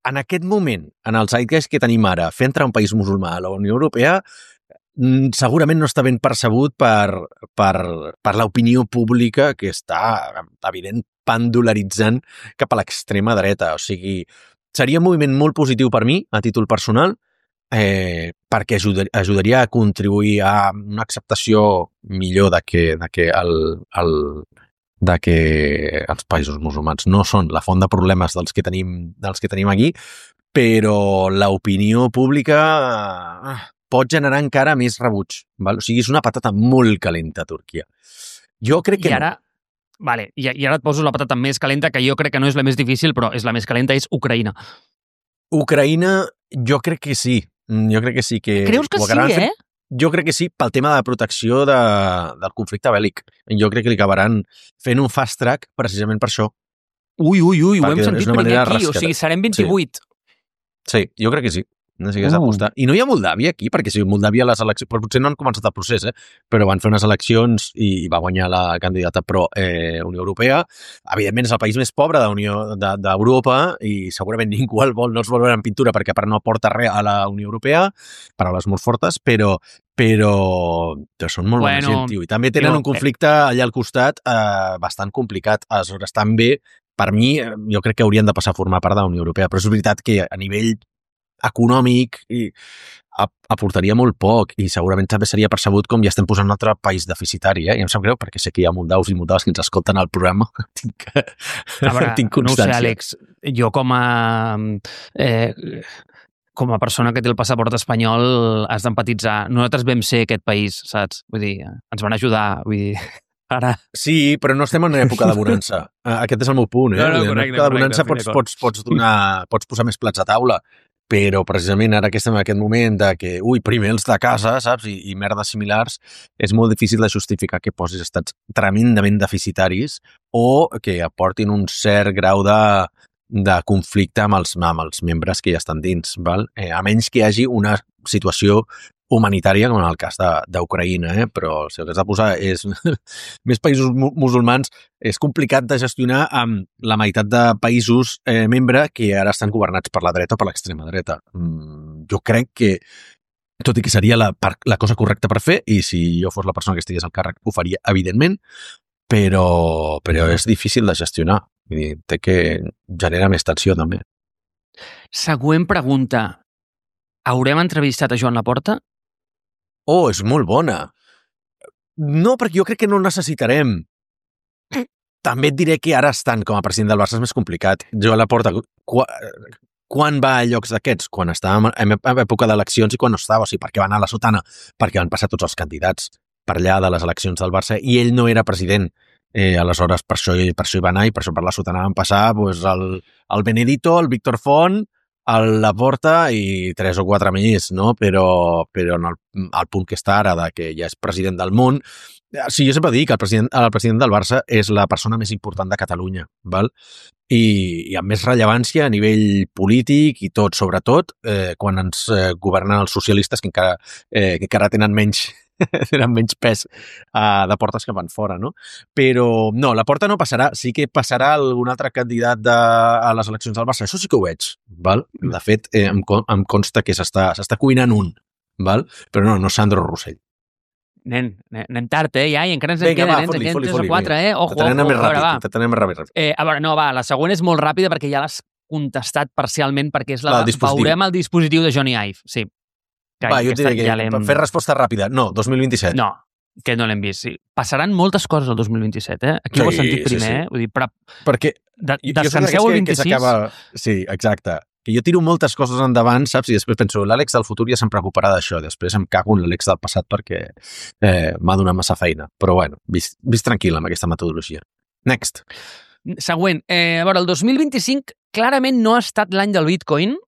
en aquest moment, en el zeitgeist que tenim ara, fer entrar un país musulmà a la Unió Europea segurament no està ben percebut per, per, per l'opinió pública que està, evident, pendularitzant cap a l'extrema dreta. O sigui, seria un moviment molt positiu per mi, a títol personal, eh, perquè ajudar, ajudaria a contribuir a una acceptació millor de que, de que, el, el, de que els països musulmans no són la font de problemes dels que tenim, dels que tenim aquí, però l'opinió pública pot generar encara més rebuig. Val? O sigui, és una patata molt calenta, Turquia. Jo crec que I ara, no. Vale, i, i ara et poso la patata més calenta, que jo crec que no és la més difícil, però és la més calenta, és Ucraïna. Ucraïna, jo crec que sí. Jo crec que sí. Que Creus que sí, eh? Fent, jo crec que sí, pel tema de protecció de, del conflicte bèl·lic. Jo crec que li acabaran fent un fast track precisament per això. Ui, ui, ui, ho hem sentit primer aquí, rascada. O sigui, serem vint-i-vuit. Sí, sí, jo crec que sí. No sé què has d'apostar. I no hi ha Moldàvia aquí, perquè si Moldàvia les eleccions... Però potser no han començat el procés, eh? Però van fer unes eleccions i va guanyar la candidata pro eh, Unió Europea. Evidentment és el país més pobre de Unió d'Europa i segurament ningú el vol, no els vol veure en pintura perquè per no aporta res a la Unió Europea, paraules molt fortes, però però, però són molt bueno, bona gent, tio. I també tenen jo, un conflicte allà al costat eh, bastant complicat. Aleshores, també, per mi, jo crec que haurien de passar a formar part de la Unió Europea. Però és veritat que a nivell econòmic i aportaria molt poc i segurament també seria percebut com ja estem posant un altre país deficitari, eh? I em sap greu perquè sé que hi ha moldaus i moldaves que ens escolten al programa. tinc, veure, tinc constància. No ho sé, Àlex, jo com a eh, com a persona que té el passaport espanyol has d'empatitzar. Nosaltres vam ser aquest país, saps? Vull dir, ens van ajudar, vull dir, ara. Sí, però no estem en època de bonança. Aquest és el meu punt, eh? No, no, en correcte, època de bonança correcte, pots, pots, pots, donar, pots posar més plats a taula, però precisament ara que estem en aquest moment de que, ui, primer els de casa, saps, i, i merdes similars, és molt difícil de justificar que posis estats tremendament deficitaris o que aportin un cert grau de, de conflicte amb els, amb els membres que ja estan dins, val? Eh, a menys que hi hagi una situació humanitària, com en el cas d'Ucraïna, eh? Però si el que has de posar és més països mu musulmans, és complicat de gestionar amb la meitat de països eh, membre que ara estan governats per la dreta o per l'extrema dreta. Mm, jo crec que, tot i que seria la, la cosa correcta per fer, i si jo fos la persona que estigués al càrrec ho faria, evidentment, però, però és difícil de gestionar. Vull dir, té que genera més tensió, també. Següent pregunta. Haurem entrevistat a Joan Laporta? Oh, és molt bona. No, perquè jo crec que no el necessitarem. També et diré que ara estant com a president del Barça és més complicat. Joan Laporta, quan, quan va a llocs d'aquests? Quan estava en època d'eleccions i quan no estava. O sigui, per què va anar a la sotana? Perquè van passar tots els candidats per allà de les eleccions del Barça i ell no era president. Eh, aleshores, per això, per això hi va anar i per això per la sotana van passar pues, el, el Benedito, el Víctor Font, el Laporta i tres o quatre més, no? Però, però en el, el punt que està ara de que ja és president del món. Sí, jo sempre dic que el president, el president del Barça és la persona més important de Catalunya, val? I, i amb més rellevància a nivell polític i tot, sobretot eh, quan ens eh, governen els socialistes que encara, eh, que encara tenen menys tenen menys pes uh, de portes que van fora, no? Però no, la porta no passarà. Sí que passarà algun altre candidat de, a les eleccions del Barça. Això sí que ho veig, val? De fet, eh, em, em consta que s'està cuinant un, val? Però no, no Sandro Rossell. Nen, anem tard, eh, ja, i encara ens en queden, nens, en queden tres o quatre, eh? Ojo, ojo, ojo, més ràpid, t'atenem més ràpid. Eh, a veure, no, va, la següent és molt ràpida perquè ja l'has contestat parcialment, perquè és la de veurem el dispositiu de Johnny Ive, sí. Que va, jo et diré que ja per fer resposta ràpida, no, dos mil vint-i-set. No, que no l'hem vist, sí. Passaran moltes coses el dos mil vint-i-set, eh? Aquí sí, ho he sentit primer, sí, sí. eh? Vull dir, però... Perquè de, descanseu el vint-i-sis... Que acaba... Sí, exacte. Que jo tiro moltes coses endavant, saps? I després penso, l'Àlex del futur ja se'n preocuparà d'això. Després em cago en l'Àlex del passat perquè eh, m'ha donat massa feina. Però bueno, vist, vist tranquil amb aquesta metodologia. Next. Següent. Eh, a veure, el dos mil vint-i-cinc clarament no ha estat l'any del Bitcoin.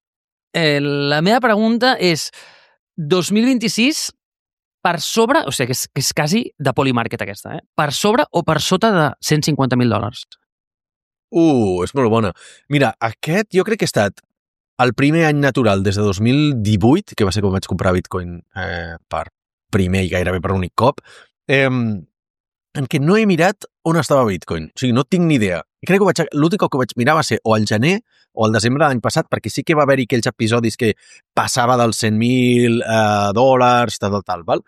Eh, la meva pregunta és dos mil vint-i-sis per sobre, o sigui, que és, que és quasi de Polymarket aquesta, eh? Per sobre o per sota de cent cinquanta mil dòlars? Uh, és molt bona. Mira, aquest jo crec que ha estat el primer any natural des de dos mil divuit, que va ser quan vaig comprar Bitcoin eh, per primer i gairebé per únic cop, eh, en què no he mirat on estava Bitcoin. O sigui, no tinc ni idea. I crec que l'únic que vaig mirar va ser o al gener o al desembre de l'any passat, perquè sí que va haver-hi aquells episodis que passava dels cent mil eh, dòlars, tal, tal, tal, val?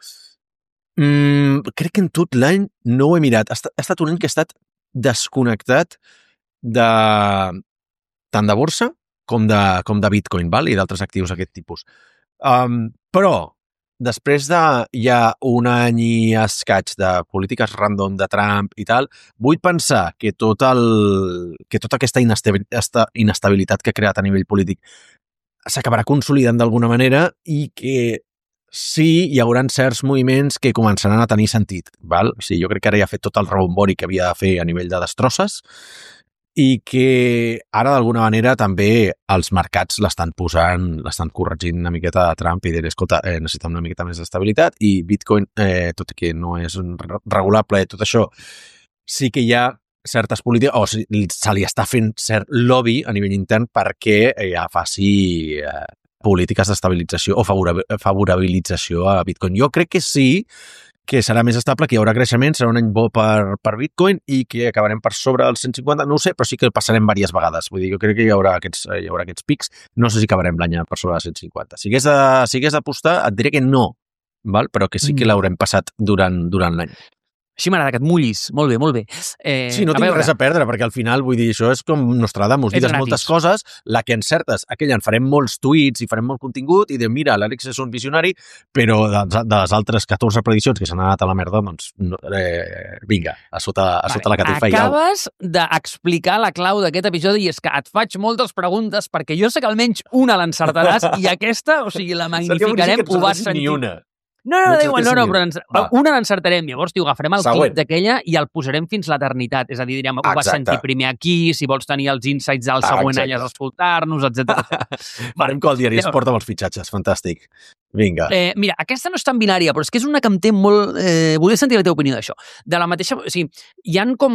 Mm, crec que en tot l'any no ho he mirat. Ha estat, ha estat un any que ha estat desconnectat de tant de borsa com de, com de Bitcoin, val? I d'altres actius d'aquest tipus. Um, però, després de ja un any i escaig de polítiques random de Trump i tal, vull pensar que, tot el, que tota aquesta inestabilitat que ha creat a nivell polític s'acabarà consolidant d'alguna manera i que sí, hi haurà certs moviments que començaran a tenir sentit. Val? O sigui, jo crec que ara ja ha fet tot el rebombori que havia de fer a nivell de destrosses i que ara d'alguna manera també els mercats l'estan posant, l'estan corregint una miqueta de Trump i dir, escolta, eh, necessitem una miqueta més d'estabilitat i Bitcoin, eh, tot i que no és regulable, tot això, sí que hi ha certes polítiques, o sigui, se li està fent cert lobby a nivell intern perquè ja faci eh, polítiques d'estabilització o favorabilització a Bitcoin. Jo crec que sí, que serà més estable, que hi haurà creixement, serà un any bo per, per Bitcoin i que acabarem per sobre dels cent cinquanta, no ho sé, però sí que passarem diverses vegades. Vull dir, jo crec que hi haurà aquests, hi haurà aquests pics, no sé si acabarem l'any per sobre dels cent cinquanta. Si hagués de, si hagués d'apostar, et diré que no, val? Però que sí que l'haurem passat durant, durant l'any. Així m'agrada que et mullis. Molt bé, molt bé. Eh, sí, no tinc veure. res a perdre, perquè al final, vull dir, això és com Nostradamus, digues moltes coses, la que encertes, aquella en farem molts tuits i farem molt contingut, i de mira, l'Àlex és un visionari, però de, de les altres catorze prediccions que s'han anat a la merda, doncs, no, eh, vinga, a sota, a sota vale. la catifa. Acabes d'explicar la clau d'aquest episodi i és que et faig moltes preguntes, perquè jo sé que almenys una l'encertaràs i aquesta, o sigui, la magnificarem, ho vas sentir. Ni una. No, no, No diuen, no, no, però ens, Va. una l'encertarem. Llavors, tio, agafarem el Següent. clip d'aquella i el posarem fins l'eternitat. És a dir, direm, ho vas Exacte. sentir primer aquí, si vols tenir els insights del Ah, següent exacte. any has d'escoltar-nos, etcètera. Farem que el diari es Llavors- porta amb els fitxatges. Fantàstic. Vinga. Eh, mira, aquesta no és tan binària, però és que és una que em té molt... Eh, volia sentir la teva opinió d'això. De la mateixa... O sigui, hi han com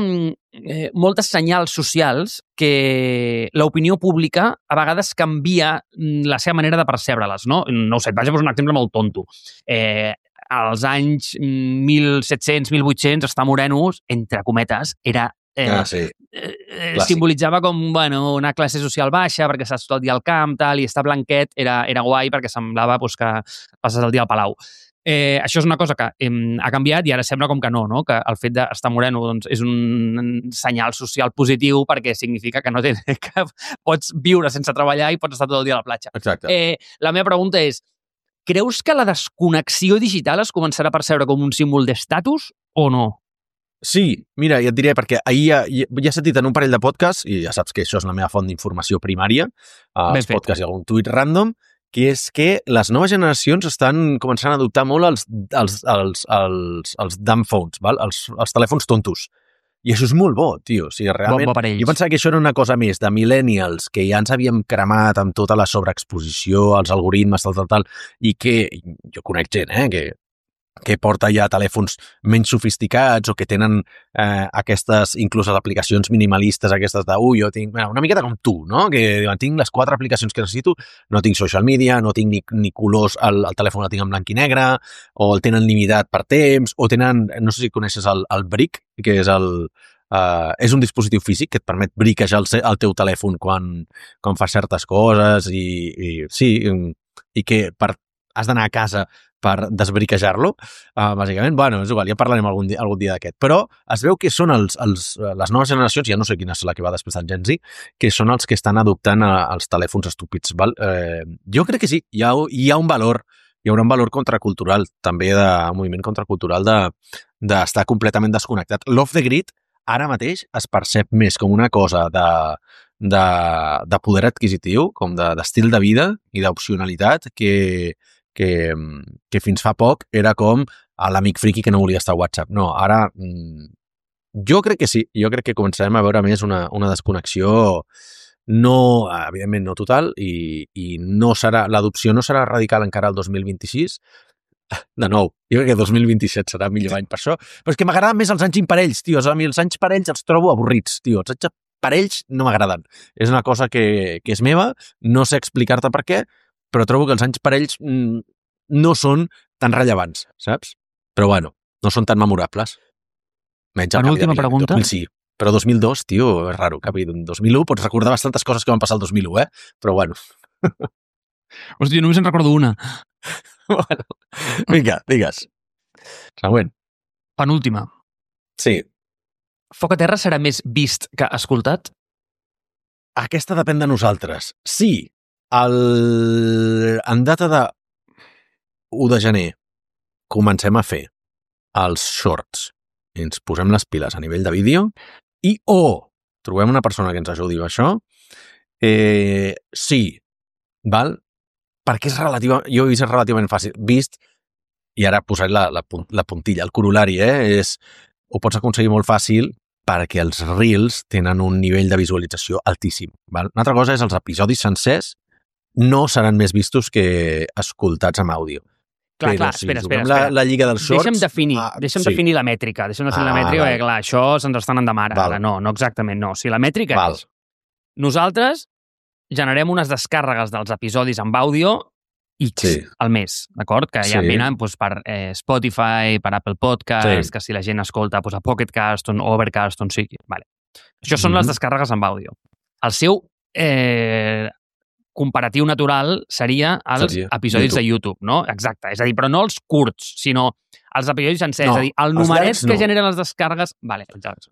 eh, moltes senyals socials que l'opinió pública a vegades canvia mm, la seva manera de percebre-les, no? No ho sé, et vaig a posar un exemple molt tonto. Eh, als anys mm, mil set-cents, mil vuit-cents, estar morenos, entre cometes, era... Eh, Ah, sí. eh, eh, Clàssic. simbolitzava com bueno, una classe social baixa perquè saps tot el dia al camp tal, i estar blanquet era, era guai perquè semblava pues, que passes el dia al Palau. Eh, això és una cosa que eh, ha canviat i ara sembla com que no, no? Que el fet d'estar moreno doncs, és un senyal social positiu perquè significa que no té, que pots viure sense treballar i pots estar tot el dia a la platja. Exacte. Eh, la meva pregunta és, creus que la desconnexió digital es començarà a percebre com un símbol d'estatus o no? Sí, mira, ja et diré, perquè ahir ja, ja, ja he sentit en un parell de podcasts, i ja saps que això és la meva font d'informació primària, als Ben fet. podcasts i algun tuit random, que és que les noves generacions estan començant a adoptar molt els, els, els, els, els dumb phones, val? Els, els telèfons tontos. I això és molt bo, tio. O sigui, realment, Bo, bo per ells. jo pensava que això era una cosa més de millennials, que ja ens havíem cremat amb tota la sobreexposició, els algoritmes, tal, tal, tal, i que jo conec gent, eh, que que porta ja telèfons menys sofisticats o que tenen eh, aquestes, inclús les aplicacions minimalistes, aquestes de, ui, jo tinc, bueno, una miqueta com tu, no? Que diuen, tinc les quatre aplicacions que necessito, no tinc social media, no tinc ni, ni colors, el, el telèfon el tinc en blanc i negre, o el tenen limitat per temps, o tenen, no sé si coneixes el, el brick, que és el, uh, és un dispositiu físic que et permet briquejar el, el teu telèfon quan, quan fas certes coses i, i sí, i que per, has d'anar a casa per desbriquejar-lo, uh, bàsicament. Bueno, és igual, ja parlarem algun dia, algun dia d'aquest. Però es veu que són els, els, les noves generacions, ja no sé quina és la que va després del Gen Z, que són els que estan adoptant a, els telèfons estúpids. Val? Eh, jo crec que sí, hi ha, hi ha un valor, hi haurà un valor contracultural, també de un moviment contracultural d'estar de, completament desconnectat. L'off the grid ara mateix es percep més com una cosa de, de, de poder adquisitiu, com d'estil de, de vida i d'opcionalitat, que Que, que fins fa poc era com l'amic friki que no volia estar a WhatsApp. No, ara jo crec que sí, jo crec que començarem a veure més una, una desconnexió no, evidentment no total i, i no serà, l'adopció no serà radical encara el dos mil vint-i-sis. De nou, jo crec que el dos mil vint-i-set serà millor any per això, però és que m'agraden més els anys imparells, tio, a mi els anys parells els trobo avorrits, tio, els anys parells no m'agraden. És una cosa que, que és meva, no sé explicar-te per què, però trobo que els anys parells mm, no són tan rellevants, saps? Però bueno, no són tan memorables. Menys Una última pregunta. dos mil sí, però dos mil dos, tio, és raro, capi. dos mil u pots recordar bastantes coses que van passar el dos mil u, eh? Però bueno. Hòstia, només en recordo una. Bueno, vinga, digues. Següent. Penúltima. Sí. Foc a terra serà més vist que escoltat? Aquesta depèn de nosaltres. Sí, el... en data de u de gener comencem a fer els shorts i ens posem les piles a nivell de vídeo i o oh, trobem una persona que ens ajudi amb això, eh, sí, val? Perquè és relativa, jo he vist és relativament fàcil. Vist, i ara posaré la, la, la puntilla, el corolari, eh, és, ho pots aconseguir molt fàcil perquè els reels tenen un nivell de visualització altíssim. Val? Una altra cosa és els episodis sencers no seran més vistos que escoltats amb àudio. Clar, Però clar, si espera, juguem espera, espera. La, la lliga dels shorts... Deixa'm definir, ah, deixa'm sí. definir la mètrica. Deixa'm definir Ah, la mètrica, val. perquè clar, això se'ns està anant de mare. Val. Ara, no, no exactament, no. O sigui, la mètrica Val. és... Nosaltres generem unes descàrregues dels episodis amb àudio X Sí. al mes, d'acord? Que ja Sí. venen doncs, per eh, Spotify, per Apple Podcast, Sí. que si la gent escolta doncs, a Pocket Cast, on Overcast, on sigui. Vale. Això són Mhm. les descàrregues amb àudio. El seu eh, comparatiu natural seria els Seria episodis YouTube. de YouTube, no? Exacte. És a dir, però no els curts, sinó els episodis sencers. No, és a dir, el els numeret llargs que no. generen les descàrregues... Vale, els llargs.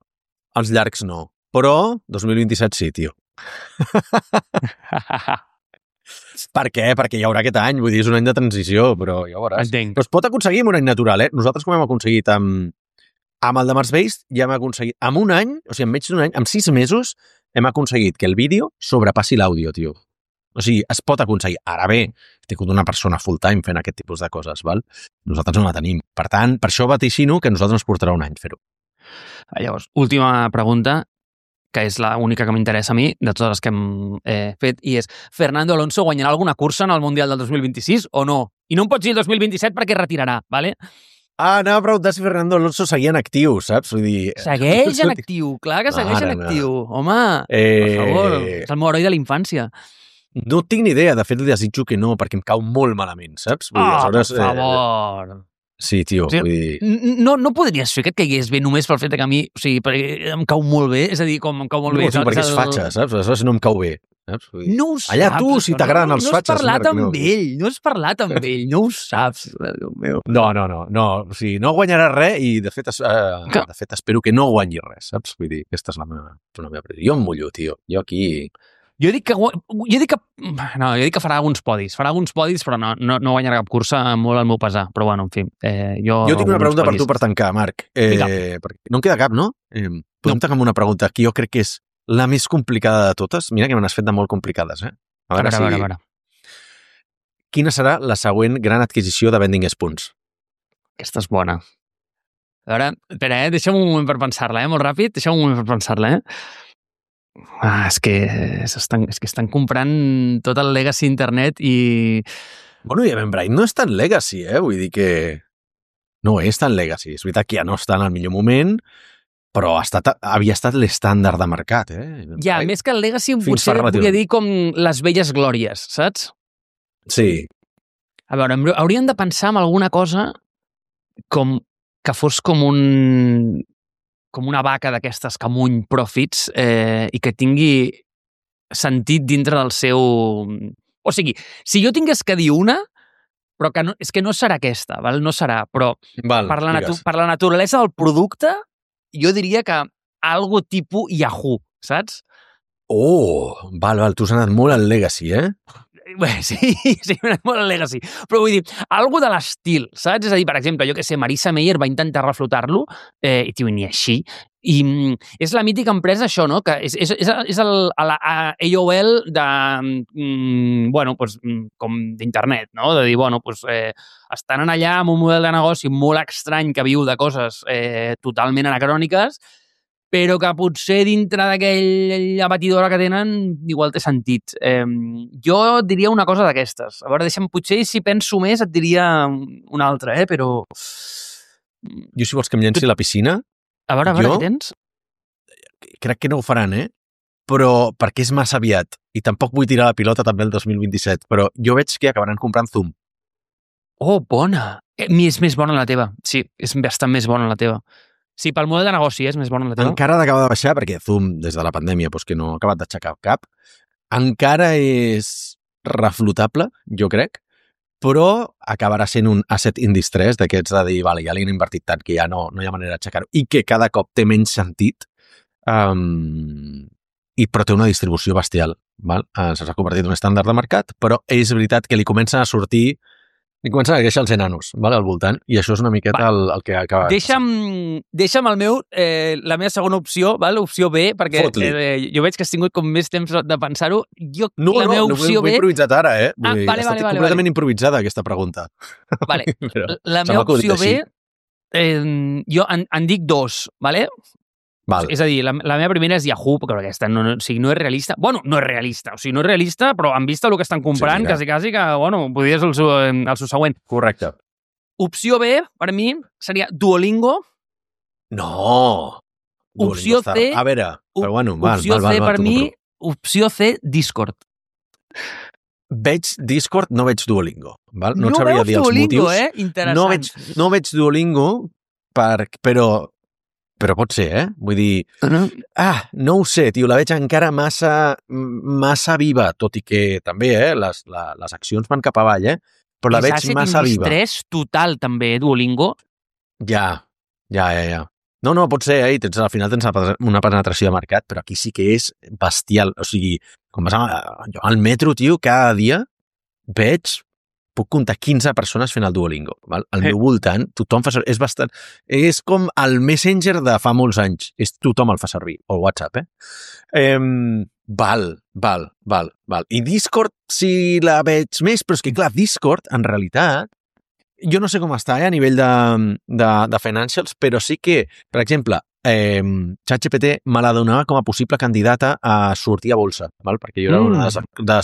Els llargs no. Però dos mil vint-i-set sí, tio. Per què? Perquè hi haurà aquest any, vull dir, és un any de transició, però ja ho veuràs. Entenc. Però es pot aconseguir en un any natural, eh? Nosaltres com hem aconseguit amb, amb el de Mars Based, ja hem aconseguit, en un any, o sigui, en menys d'un any, en sis mesos, hem aconseguit que el vídeo sobrepassi l'àudio, tio. O sigui, es pot aconseguir. Ara bé, he tingut una persona full-time fent aquest tipus de coses, val? Nosaltres no la tenim. Per tant, per això vaticino que a nosaltres ens portarà un any fer-ho. Llavors, última pregunta, que és l'única que m'interessa a mi, de totes les que hem eh, fet, i és, Fernando Alonso guanyarà alguna cursa en el Mundial del dos mil vint-i-sis o no? I no em pots dir el dos mil vint-i-set perquè retirarà, ¿vale? Ah, anava a preguntar si Fernando Alonso seguia en actiu, saps? Vull dir... Segueix en actiu, clar que segueix en actiu. Home, eh... per favor, és el meu heroi de la infància. No tinc ni idea, de fet li desitjo que no, perquè em cau molt malament, saps? Vull dir, oh, aleshores, per favor... Eh... Sí, tio, o sigui, vull dir... No, no podries fer que et caigués bé només pel fet que a mi, o sigui, perquè em cau molt bé, és a dir, com em cau molt no, bé... No, perquè és fatxa, saps? Aleshores no em cau bé. Saps? Dir... No ho saps. Allà tu, si t'agraden no, els no fatxes... No has parlat Marc, amb no. ell, no has parlat amb ell, no ho saps. Déu meu. No, no, no, no, o sigui, no guanyarà res i de fet, es, eh, que... de fet espero que no guanyi res, saps? Vull dir, aquesta és la meva, la meva predicció. Jo em mullo, tio. Jo aquí... Jo dic que, jo dic que, no, jo dic que farà alguns podis, farà alguns podis, però no, no, no guanyarà cap cursa molt al meu pesar. Però bueno, en fi, eh, jo... Jo tinc una pregunta podis. per tu per tancar, Marc. Eh, perquè no em queda cap, no? Eh, podem no. tancar amb una pregunta que jo crec que és la més complicada de totes. Mira que me n'has fet de molt complicades, eh? A veure, a veure, si... a veure, a veure. Quina serà la següent gran adquisició de Vending Spoons? Aquesta és bona. A veure, espera, eh? Deixa'm un moment per pensar-la, eh? Molt ràpid, deixa'm un moment per pensar-la, eh? Ah, és que estan, és que estan comprant tot el legacy internet i... Bueno, i Eventbrite no és tan legacy, eh? Vull dir que no és tan legacy. És veritat que ja no està en el millor moment, però ha estat, havia estat l'estàndard de mercat, eh? Eventbrite. Ja, més que el legacy potser volia dir com les velles glòries, saps? Sí. A veure, hauríem de pensar en alguna cosa com que fos com un... com una vaca d'aquestes que amuny profits eh, i que tingui sentit dintre del seu... O sigui, si jo tingués que dir una, però que no, és que no serà aquesta, val? No serà, però val, per, la natu per la naturalesa del producte, jo diria que algo tipus Yahoo, saps? Oh, val, val, tu has anat molt al legacy, eh? Bé, sí, sí, m'ha anat molt al legacy. Però vull dir, algo de l'estil, saps? És a dir, per exemple, jo que sé, Marissa Meyer va intentar reflotar-lo, eh, i tio, ni així. I mm, és la mítica empresa, això, no? Que és, és, és, és el, el, A O L de, mm, bueno, pues, com d'internet, no? De dir, bueno, pues, eh, estan allà amb un model de negoci molt estrany que viu de coses eh, totalment anacròniques, però que potser dintre d'aquella batidora que tenen igual té sentit. Eh, jo diria una cosa d'aquestes. A veure, deixa'm, potser si penso més et diria una altra, eh? Però... Jo, si vols que em llenci a la piscina... A veure, a veure, jo, què tens? Crec que no ho faran, eh? Però perquè és massa aviat. I tampoc vull tirar la pilota també el dos mil vint-i-set. Però jo veig que acabaran comprant Zoom. Oh, bona! Eh, és més bona la teva. Sí, és bastant més bona la teva. Sí, pel model de negoci és més bona la teva. Encara ha d'acabar de baixar, perquè Zoom, des de la pandèmia, doncs que no ha acabat d'aixecar cap. Encara és reflotable, jo crec, però acabarà sent un asset indistress d'aquests de dir, vale, ja li han invertit tant que ja no, no hi ha manera d'aixecar-ho, i que cada cop té menys sentit, um, i però té una distribució bestial. Val? Uh, S'ha convertit en un estàndard de mercat, però és veritat que li comencen a sortir i comencen a créixer els enanos, vale, al voltant, i això és una miqueta el, el que acaba... Deixa'm, deixa'm el meu, eh, la meva segona opció, val? Opció B, perquè eh, jo veig que has tingut com més temps de pensar-ho. Jo, no, la no, meva no, opció no, B... ho he improvisat ara, eh? Ah, Vull dir, vale, ha vale, estat vale, completament vale. improvisada, aquesta pregunta. Vale. La meva opció B, eh, jo en, en dic dos, vale? Val. És a dir, la, la meva primera és Yahoo, perquè aquesta no, no, o sigui, no és realista. Bueno, no és realista, o sigui, no és realista, però en vista el que estan comprant, sí, quasi, quasi que, bueno, podria ser el seu, el seu següent. Correcte. Opció B, per mi, seria Duolingo. No! Duolingo opció està... C... A veure, però bueno, val, opció val, val, C, val, per mi, opció C, Discord. Veig Discord, no veig Duolingo. Val? No, no et sabria dir els Duolingo, motius. Eh? Interessant. No veig, no veig Duolingo, per, però... Però pot ser, eh? Vull dir... Uh-huh. Ah, no ho sé, tio, la veig encara massa, massa viva, tot i que també, eh? Les, la, les accions van cap avall, eh? Però la és veig massa viva. És estrès total, també, eh, Duolingo. Ja, ja, ja, ja. No, no, pot ser, eh? I tens, al final tens una penetració de mercat, però aquí sí que és bestial. O sigui, com vas a, jo al metro, tio, cada dia veig puc comptar quinze persones fent el Duolingo. Val? Al meu voltant, tothom fa servir. És bastant... És com el Messenger de fa molts anys. És tothom el fa servir. O el WhatsApp, eh? eh val, val, val, val. I Discord, si la veig més, però és que, clar, Discord, en realitat, jo no sé com està eh, a nivell de, de, de financials, però sí que, per exemple, eh, ChatGPT me la donava com a possible candidata a sortir a bolsa, val? Perquè jo era una de les, de,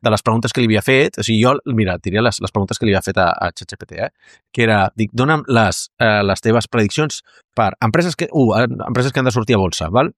de les preguntes que li havia fet, o sigui, jo, mira, et diria les, les preguntes que li havia fet a, a ChatGPT, eh? Que era, dic, dona'm les, eh, les teves prediccions per empreses que, uh, empreses que han de sortir a bolsa, val?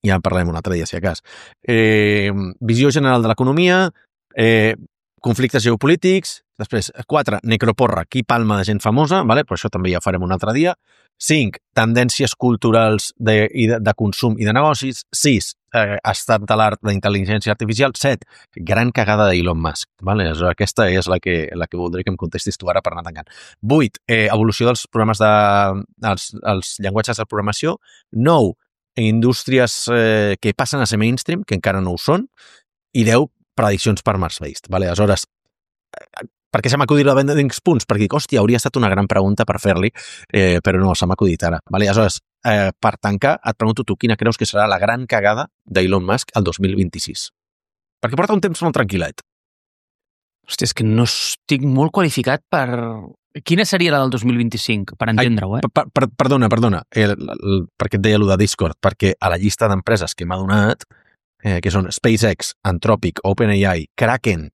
Ja en parlarem un altre dia, si a cas. Eh, visió general de l'economia, eh, conflictes geopolítics, després, quatre, necroporra, qui palma de gent famosa, vale? Però això també ja ho farem un altre dia. cinc, tendències culturals de, de, de consum i de negocis. sis, eh, estat de l'art d'intel·ligència artificial. set, gran cagada d'Elon Musk. Vale? Aquesta és la que, la que voldré que em contestis tu ara per anar tancant. vuit, eh, evolució dels programes de... els, els llenguatges de programació. nou, indústries eh, que passen a ser mainstream, que encara no ho són. I deu, prediccions per Mars-based. Vale? Aleshores, per què se m'ha acudit la venda d'Incs punts? Perquè dic, hòstia, hauria estat una gran pregunta per fer-li, eh, però no, se m'ha acudit ara. Vale? Aleshores, eh, per tancar, et pregunto tu, quina creus que serà la gran cagada d'Elon Musk el dos mil vint-i-sis? Perquè porta un temps molt tranquil·let. Hòstia, és que no estic molt qualificat per... Quina seria la del dos mil vint-i-cinc, per entendre-ho, eh? Per, per, perdona, perdona, el, el, el, perquè et deia allò de Discord, perquè a la llista d'empreses que m'ha donat, eh, que són SpaceX, Anthropic, OpenAI, Kraken,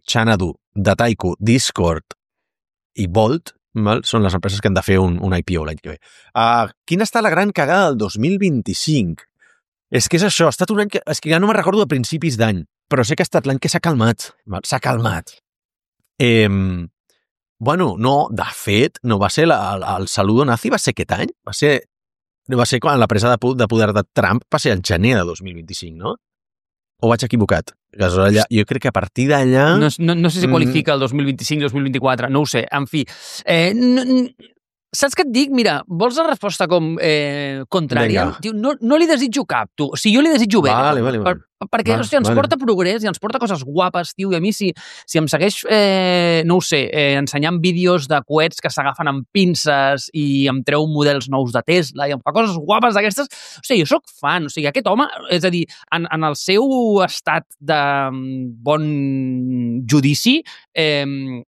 Xanadu, Dataiku, Discord i Bolt, val? Són les empreses que han de fer un, un I P O l'any que ve. Uh, quina està la gran cagada del dos mil vint-i-cinc? És que és això, ha estat un any que... És que ja no me'n recordo de principis d'any, però sé que ha estat l'any que s'ha calmat. S'ha calmat. Eh, bueno, no, de fet, no va ser la, el, el saludo nazi, va ser aquest any? Va ser, va ser quan la presa de, de poder de Trump va ser el gener de dos mil vint-i-cinc, no? O vaig equivocat? Allà, jo crec que a partir d'allà... No, no, no sé si qualifica el dos mil vint-i-cinc dos mil vint-i-quatre, no ho sé. En fi, eh, no, saps què et dic? Mira, vols la resposta com eh, contrària? Tio, no, no li desitjo cap, tu. O sigui, jo li desitjo bé. Vale, vale, vale. Per, perquè, vale, hòstia, ens vale. porta progrés i ens porta coses guapes, tio, i a mi si, si em segueix, eh, no ho sé, eh, ensenyant vídeos de coets que s'agafen amb pinces i em treu models nous de Tesla i em fa coses guapes d'aquestes, o sigui, jo sóc fan, o sigui, aquest home, és a dir, en, en el seu estat de bon judici, eh,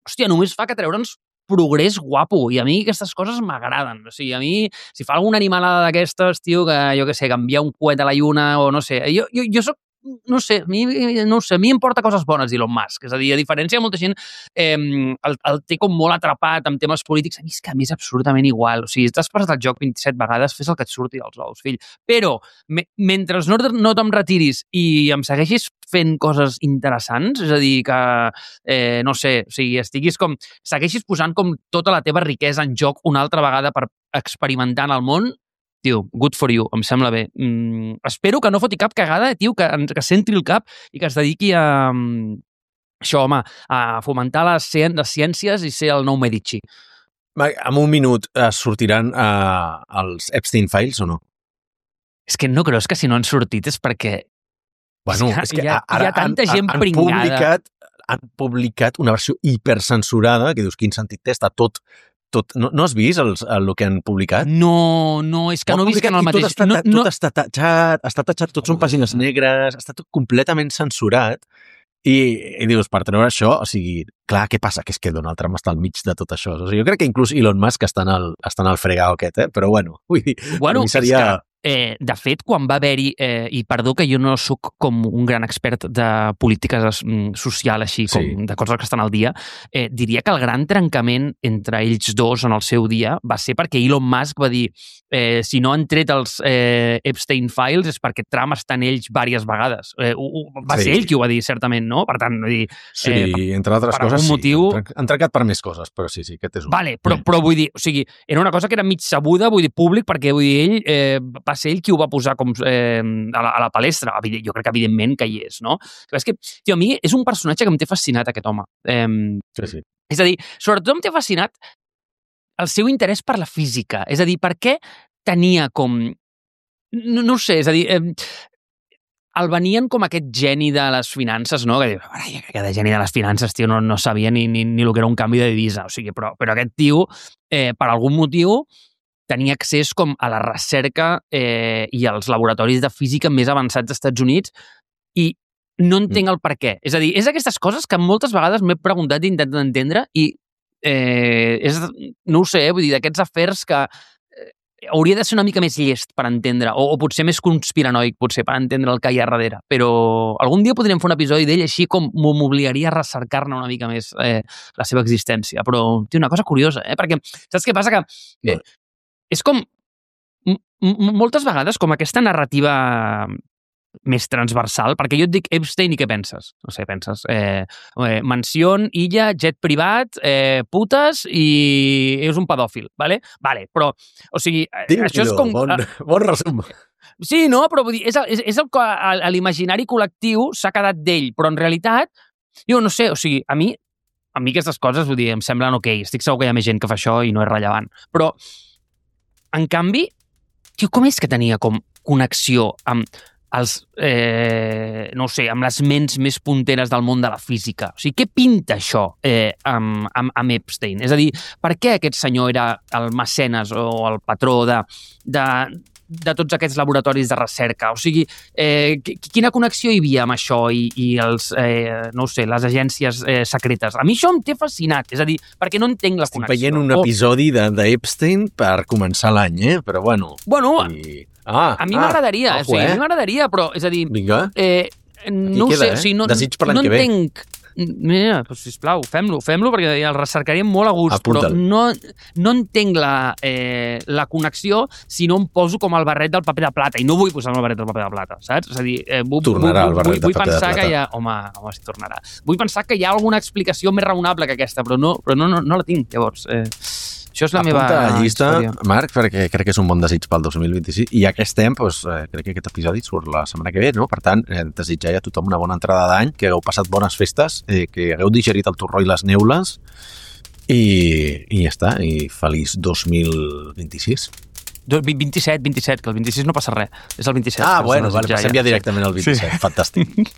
hòstia, només fa que treure'ns progrés guapo, i a mi aquestes coses m'agraden. O sigui, a mi, si fa alguna animalada d'aquestes, tio, que jo què sé, canviar un coet a la lluna o no sé, jo, jo, jo soc no sé, a mi, no sé, a mi em porta coses bones d'Elon Musk, és a dir, a diferència de molta gent eh, el, el té com molt atrapat amb temes polítics, a mi és que a mi és absolutament igual, o sigui, t'has passat el joc vint-i-set vegades, fes el que et surti dels ous, fill, però me, mentre no, no te'm retiris i em segueixis fent coses interessants, és a dir, que eh, no sé, o sigui, estiguis com, segueixis posant com tota la teva riquesa en joc una altra vegada per experimentar en el món, tio, good for you, em sembla bé. Mm, espero que no foti cap cagada, tio, que, que centri el cap i que es dediqui a... Um, això, home, a fomentar les, les ciències i ser el nou Medici. En un minut es sortiran uh, els Epstein Files o no? És que no creus que si no han sortit és perquè... Bueno, és que és que hi ha, ara hi ha tanta han, gent han pringada. Publicat, han publicat una versió hipercensurada, que dius, quin sentit té, està tot... Tot, no, no has vist el, el, el que han publicat? No, no, és que no visc en el mateix... Tot està, no, tot no... està tatxat, està tatxat, tots són pàgines negres, està tot completament censurat i, i dius, per treure això, o sigui, clar, què passa? Que és que Donald Trump està al mig de tot això. O sigui, jo crec que inclús Elon Musk està en el, està en el fregau aquest, eh? Però bueno, vull dir, bueno, per mi seria... Que... Eh, de fet, quan va haver-hi, eh, i perdó que jo no sóc com un gran expert de polítiques mm, social així, com Sí. de coses que estan al dia, eh, diria que el gran trencament entre ells dos en el seu dia va ser perquè Elon Musk va dir eh, si no han tret els eh, Epstein Files és perquè Trump està en ells diverses vegades. Eh, ho, ho, va Sí. ser ell qui ho va dir, certament, no? Per tant, vull dir... Sí, eh, entre altres per coses, algun sí. motiu- Han trencat- Han trencat per més coses, però sí, sí, aquest és un... Vale, però, Mm. però vull dir, o sigui, era una cosa que era mig sabuda, vull dir, públic, perquè vull dir, ell eh, va ser ell qui ho va posar com eh, a, la, a la palestra. Evident, jo crec que evidentment que hi és, no? Però és que, tio, a mi és un personatge que em té fascinat, aquest home. Eh, Sí, sí. és a dir, sobretot em té fascinat el seu interès per la física. És a dir, per què tenia com... No, no ho sé, és a dir... Eh, el venien com aquest geni de les finances, no? Que diu, que de geni de les finances, tio, no, no sabia ni, ni, ni el que era un canvi de divisa. O sigui, però, però aquest tio, eh, per algun motiu, tenia accés com a la recerca eh, i als laboratoris de física més avançats dels Estats Units i no entenc el per què. És a dir, és aquestes coses que moltes vegades m'he preguntat i intentat entendre i eh, és, no ho sé, vull dir, d'aquests afers que hauria de ser una mica més llest per entendre, o, o potser més conspiranoic, potser, per entendre el que hi ha darrere. Però algun dia podríem fer un episodi d'ell així com m'obligaria a recercar-ne una mica més eh, la seva existència. Però té una cosa curiosa, eh? Perquè saps què passa? Que eh, és com moltes vegades com aquesta narrativa més transversal, perquè jo et dic Epstein i què penses? No sé, penses eh, eh, mansió, illa, jet privat, eh, putes i és un pedòfil, vale? Vale, però, o sigui, Diu, això és com... Bon, bon resum. Sí, no, però vull dir, és, és, és el que a l'imaginari col·lectiu s'ha quedat d'ell, però en realitat, jo no sé, o sigui, a mi, a mi aquestes coses, vull dir, em semblen ok, estic segur que hi ha més gent que fa això i no és rellevant, però, en canvi, tio, com és que tenia com connexió amb els, eh, no sé, amb les ments més punteres del món de la física? O sigui, què pinta això eh, amb, amb, amb Epstein? És a dir, per què aquest senyor era el mecenes o el patró de, de, de tots aquests laboratoris de recerca? O sigui, eh, quina connexió hi havia amb això i, i els, eh, no sé, les agències eh, secretes? A mi això em té fascinat, és a dir, perquè no entenc la Estic connexió. veient un episodi de, de Epstein per començar l'any, eh? Però bueno... Bueno, i... ah, a mi ah, m'agradaria, ojo, o sigui, eh? a mi m'agradaria, però, és a dir... Vinga. Eh, no Aquí ho sé, queda, o sigui, no, eh? Desig per l'any no que ve. entenc... Mira, doncs, sisplau, fem-lo, fem-lo, perquè el recercaríem molt a gust, Apunta'l. però no, no entenc la, eh, la connexió si no em poso com el barret del paper de plata, i no vull posar el barret del paper de plata, saps? És a dir, eh, vull, Tornarà vull, el barret vull, de vull paper de pensar plata. que hi ha... Home, home, si tornarà. Vull pensar que hi ha alguna explicació més raonable que aquesta, però no, però no, no, no la tinc, llavors. Eh, això és la Apunta meva a la llista, història. Marc, perquè crec que és un bon desig pel dos mil vint-i-sis. I ja que estem, doncs, eh, crec que aquest episodi surt la setmana que ve, no? Per tant, eh, desitjar a tothom una bona entrada d'any, que hagueu passat bones festes, eh, que hagueu digerit el torró i les neules, i, i ja està, i feliç dos mil vint-i-sis. vint-i-set, vint-i-set, que el vint-i-sis no passa res. És el vint-i-set. Ah, que us bueno, desitjar vale, passem ja directament al vint-i-set. Sí. Fantàstic.